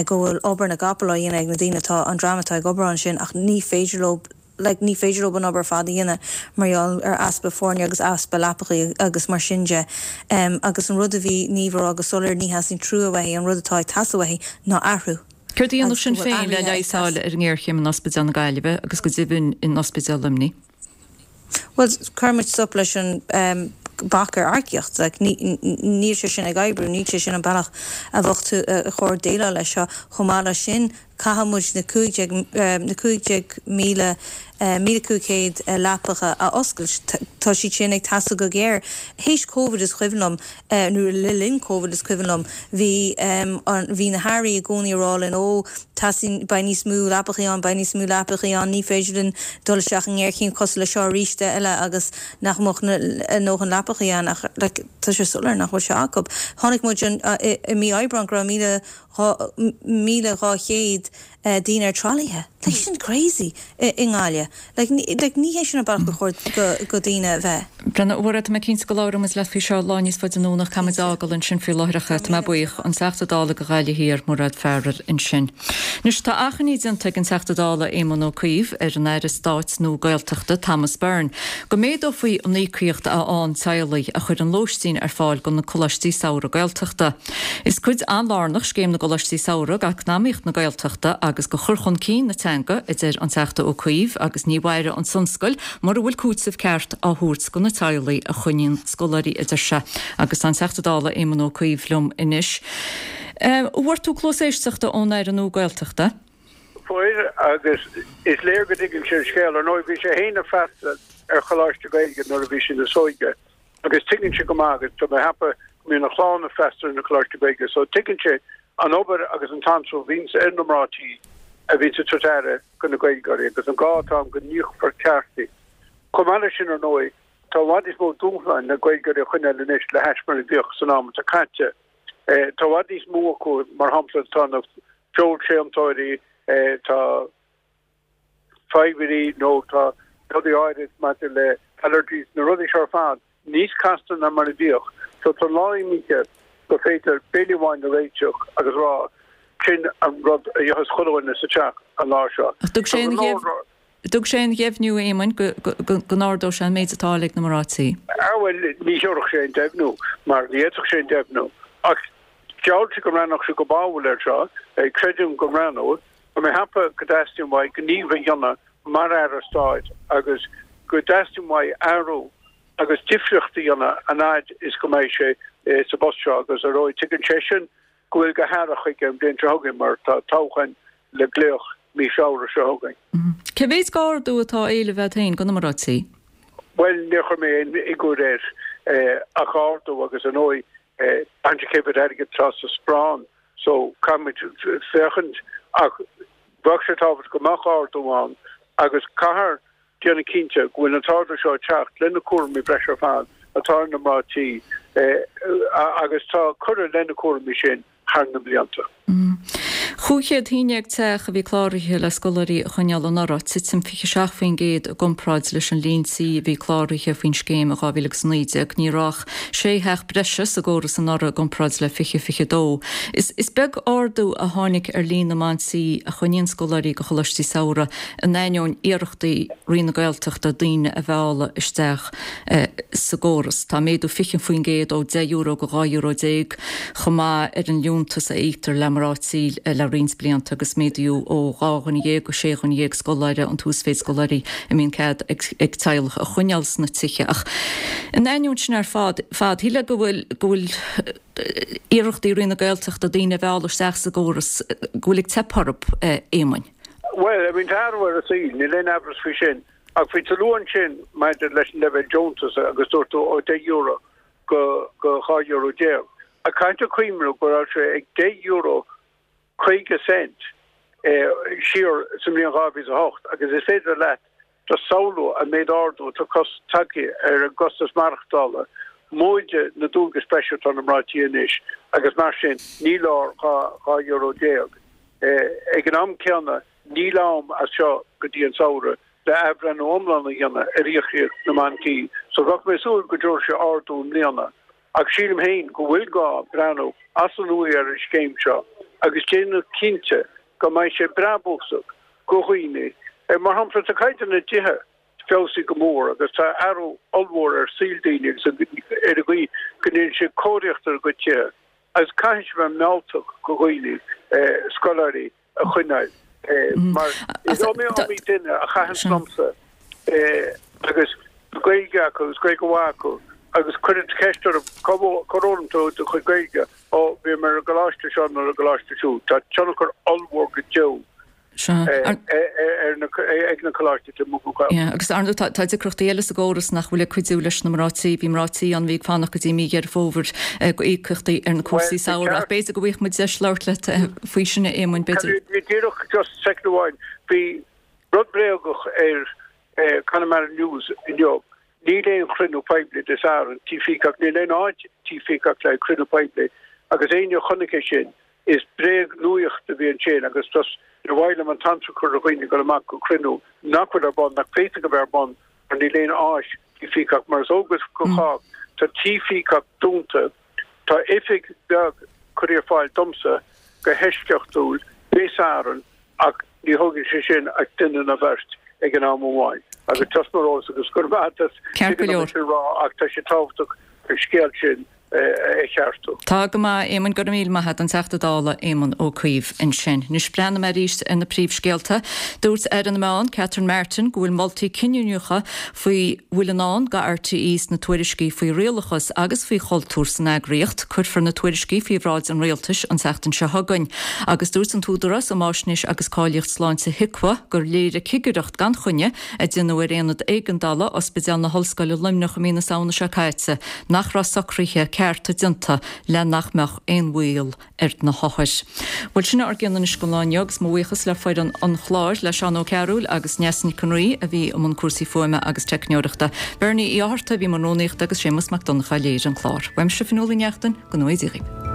[SPEAKER 17] go bhfuil obair na gcapall á dhéanamh ag na daoine atá, an dream atá ag obair ansin ach ní féidir leo like ní féidir leo an obair ar fad a dhéanamh mar gheall ar easpa foirne agus easpa leapachaí agus mar sin de. Um, agus an rud a bhí Niamh a rá go soiléir ní theastaíonn trua uaithi, an rud atá ag teastáil uaithi ná athrú.
[SPEAKER 1] Céard a dhéanfadh
[SPEAKER 17] Agus
[SPEAKER 1] Sinn
[SPEAKER 17] go bhfuil
[SPEAKER 1] Féin le
[SPEAKER 17] athruithe ag
[SPEAKER 1] leigheas a fháil ar an ngéarchéim in Ospidéal na Gaillimhe agus go deimhin in Ospidéal Luimnigh?
[SPEAKER 17] Well, cuirfidh muid stop leis an um, bac ar earcaíocht, like, níl sé sin ag oibriú, níl sé sin an bealach a bheadh tú a chóir déileáil leis seo. Chomh maith leis sin, caithfidh muid na cúig déag na cúig déag míle míle cúig chéad leapacha a oscailt. Tá siad sin ag teastáil go géar. Théis Covid is cuimhin liom, nó le linn Covid is cuimhin liom, bhí an bhí na hairí i gcónaí ag rá linn ó teastaíonn beidh níos mó leapachaí ann, beidh níos mó leapachaí ann, ní féidir linn dul isteach i ngéarchéim cosúil le seo arís eile agus nach mbeadh na a ndóthain leapachaí ann ach like tá sé soiléir nach bhfuil sé acu. Chonaic muid an i mí Aibreán go raibh míle míle dhá chéad daoine ar tralaithe. Like sin crazy i nGaillimh. Like like ní hé sin an bealach go chóir go daoine a bheith.
[SPEAKER 1] Brenna, Mhairéad, tá mé cinnte go labhróidh muid leat faoi seo lá níos faide anonn ach caithfidh muid fágáil ansin faoi láthair ach tá mé buíoch an Teachta Dála go Gaillimh Thiar Mairéad Farrell ansin. Anois tá achainí déanta ag an Teachta Dála Éamon Ó Cuív ar an Aire Stáit nua Gaeltachta Thomas Byrne go méadófaí an íocaíocht a fhaigheann teaghlaigh a chuireann lóistín ar fáil go na Coláistí Samhraidh Gaeltachta. Is cuid an-lárnach scéim na gColáistí Samhraidh d'eacnamaíocht na Gaeltachta agus agus go chur chun cinn na teanga, a deir an Teachta Ó Cuív, agus ní mhairfidh an tionscal mura bhfuil cúiteamh ceart á thabhairt go na teaghlaigh a choinníonn scoláirí, a deir sé. Agus tá an Teachta Dála Éamon Ó Cuív liom anois. An bhfuair tú cluas éisteachta ón Aire nua Gaeltachta?
[SPEAKER 18] Fuair, agus is léir go dtuigeann sé an scéal. Ar ndóigh, bhí sé féin ag freastal ar choláiste Gaeilge nuair a bhí sé níos óige agus tuigeann sé go maith agus tá mé ag ceapadh go mbíonn a chlann ag freastal ar na coláistí Gaeilge so tuigeann sé an obair agus an t-anró a bhíonns ar na mná tí a bhíonns ag tabhairt aire go na Gaeilgeoirí agus an gá atá ann go n-íocfar ceart iad. Chomh maith leis sin ar ndóigh tá i bhfad níos mó dúshláin le Gaeilgeoirí a choinneáil anois le hais mar a bhíodh san am atá caite. Tá i bhfad níos mó acu mar shampla tá na feoilséantóirí, tá fadhbanna nó tá rudaí áirid maidir le allergies, na rudaí seo ar fad níos casta ná mar a bhíodh. So tá an lá imithe gur féidir béile amháin a réiteach agus rá sin an rud a itheas chuile dhuine sa teach an lá seo.
[SPEAKER 1] Ach thug sé aon thug sé aon dheimhniú, a Éamoinn, go go n-ardódh sé an méid atá á fháil ag na mná tí?
[SPEAKER 18] Ah bhuel, ní thiúrfadh sé aon deimhniú mar ní fhéadfadh sé aon deimhniú. Ach gheall sé go mbreathnódh sé go báúil air seo, creidim go mbreathnóidh. Tá mé ag ceapadh go dteastaíonn uaidh gníomh a dhéanamh mar Aire Stáit agus go dteastaíonn uaidh athrú agus difríocht a dhéanamh an fhaid is go mbeidh sé sa bpost seo agus ar ndóigh tuigeann seisean go bhfuil go hearrach chuige an bhliain seo chugainn mar tá toghchán le glaoch mí Feabhra seo chugainn.
[SPEAKER 1] Cé mhéid d'ardú atá á éileamh agat féin go na mná tí?
[SPEAKER 18] Bhuel, níor chuir mé aon fhigiúr air ach ardú agus ar ndóigh braitheann sé cé mhéad airgid atá sa sparán so caithfimid féachaint ach bheadh sé tábhachtach go mbeadh ardú ann agus caithfear déanamh cinnte go bhfuil an t-ardú seo ag teacht le na cúraimí breise ar fad atá ar na mná tí agus tá curtha le na cúraimí sin thar na blianta.
[SPEAKER 1] Cúig chéad a haon déag teach a bhí cláraithe le scoláirí a choinneáil anuraidh, titim fiche seacht faoin gcéad i gcomparáid leis an líon tí a bhí cláraithe faoin scéim i dhá mhíle agus a naoi déag. Ní raibh ach sé theach breise sa gcóras anuraidh i gcomparáid le fiche fiche dó. Is beag ardú a tháinig ar líon na mban tí a choinníonn scoláirí go choláistí samhraidh in ainneoin iarrachtaí Roinn na Gaeltachta daoine a mhealladh isteach sa gcóras. Tá méadú fiche faoin gcéad ó deich euro go dhá euro déag chomh maith ar an liúntas a íoctar le mná tí le roinnt blianta agus méadaíodh ó dhá dhuine dhéag go sé dhuine dhéag scoláire an t-uasmhéid scoláirí a mbíonn cead ag teaghlach a choinneáil sna tithe. Ach in ainneoin sin ar fad, fad, shílfeá go bhfuil go bhfuil iarrachtaí Roinn na Gaeltachta daoine a mhealladh isteach sa gcóras, go bhfuil ag teip orthu, a Éamoinn.
[SPEAKER 18] Bhuel, I mean, tá athrú ar an saol, níl aon amhras faoi sin. Ach bhí tú ag lua ansin maidir leis an leibhéal deontais agus dúirt tú ó deich euro go go dhá euro déag. Ach caithfidh tú cuimhneamh go raibh sé ag deich euro caoga cent siar sa mbliain dhá mhíle a hocht agus is féidir leat just samhlú an méid ardú atá tagtha ar an gcostas maireachtála, móide na dualgais breise atá ar na mná tí anois agus mar sin ní leor dhá euro déag. Ag an am céanna níl am as seo go dtí an samhradh le athbhreithniú iomlán a dhéanamh ar íocaíocht na mban tí so bheadh mé ag súil go dtabharfaidh sé ardú i mbliana. Ach sílim féin go bhfuil gá breathnú as an nua ar an scéim seo agus déanamh cinnte go mbeidh sé brabúsach go dhaoine. Mar shampla, tá caighdeán na dtithe feabhsaithe go mór agus tá athrú ollmhór ar saol daoine agus ar an gcaoi go ndéanann siad cóiríocht ar a gcuid tithe agus caithfidh sé bheith mealltach go dhaoine, scoláirí a choinneáil mar is iomaí iomaí duine a chaitheann liomsa agus Gaeilge acu agus Gaeilge mhaith acu agus cuireann ceist orthu cár fhoghlaim tú do chuid Gaeilge? Ó, bhí mé ar an gcoláiste seo nó ar an gcoláiste siúd. Tá tionchar ollmhór go deo ag na coláistí taobh amuigh den Ghaeltacht.
[SPEAKER 1] Agus ar ndóigh tá deacrachtaí eile sa gcóras nach bhfuil ag cuidiú leis na mná tí. Bhí mná tí ann a bhí ag fanacht go dtí mí Dheireadh Fómhair go íocaíochtaí ar na cúrsaí samhraidh. Ach b'fhéidir go bhfaighidh muid deis labhairt leat faoi sin, a Éamoinn, b'fhéidir.
[SPEAKER 18] Díreach just soicind amháin. Bhí rud bréagach ar Connemara News inniu. Níl aon chruinniú poiblí Dé Sathairn, Tí Peacock, níl aon áit Tí Peacock le cruinniú poiblí agus éinne a chonaic é sin, is bréag-nuaíocht a bhí ansin agus just níor mhaith liom an t-anró a chur ar dhaoine dul amach go cruinniú nach bhfuil ar bun, nach bhféadfadh a bheith ar bun mar níl aon áis Tí Peacock mar is eol go chách tá Tí Peacock dúnta, tá oifig bheag curtha ar fáil domsa go heisceachtúil Dé Sathairn ach ní thógann sé sin ach duine nó beirt ag an am amháin agus just mar eolas agus go raibh maith agat
[SPEAKER 1] Ceart go
[SPEAKER 18] tuigim
[SPEAKER 1] leor.
[SPEAKER 18] sin a rá ach tá sé tábhachtach an scéal sin a cheartú.
[SPEAKER 1] Tá go maith, Éamon, go raibh míle maith agat, an Teachta Dála Éamon Ó Cuív ansin. Anois breathnóidh mé arís ar na príomhscéalta. Dúirt Aire na Meán, Catherine Martin, go bhfuil moltaí cinniúnacha faoi bhfuil i ndán do RTÉ sna tuairiscí faoi rialachas agus faoi chultúr san eagraíocht. Cuirfear na tuairiscí faoi bhráid an Rialtais an tseachtain seo chugainn. Agus dúirt an tÚdarás um Fháisnéis agus Cáilíocht Sláinte HIQA gur léirigh cigireacht gan choinne a déanadh ar aonad éigeandála Ospidéal na hOllscoile Luimneach i mí na Samhna seo caite nach raibh socruithe cearta déanta le nach mbeadh aon bhaol ar na hothair. Bhuel sin ár gcionn anois don lá inniu agus mo bhuíochas le foireann an chláir, le Seán Ó Cearúil agus Neasa Nic an Rí a bhí i mbun cúrsaí fuaime agus teicneoireachta, Bernie Uí Fhátharta a bhí i mbun rúnaíochta agus Séamus Mac Donncha a léirigh an clár. Uaimse Fionnuala Ní Neachtain, go ngnóthaí Dia dhaoibh.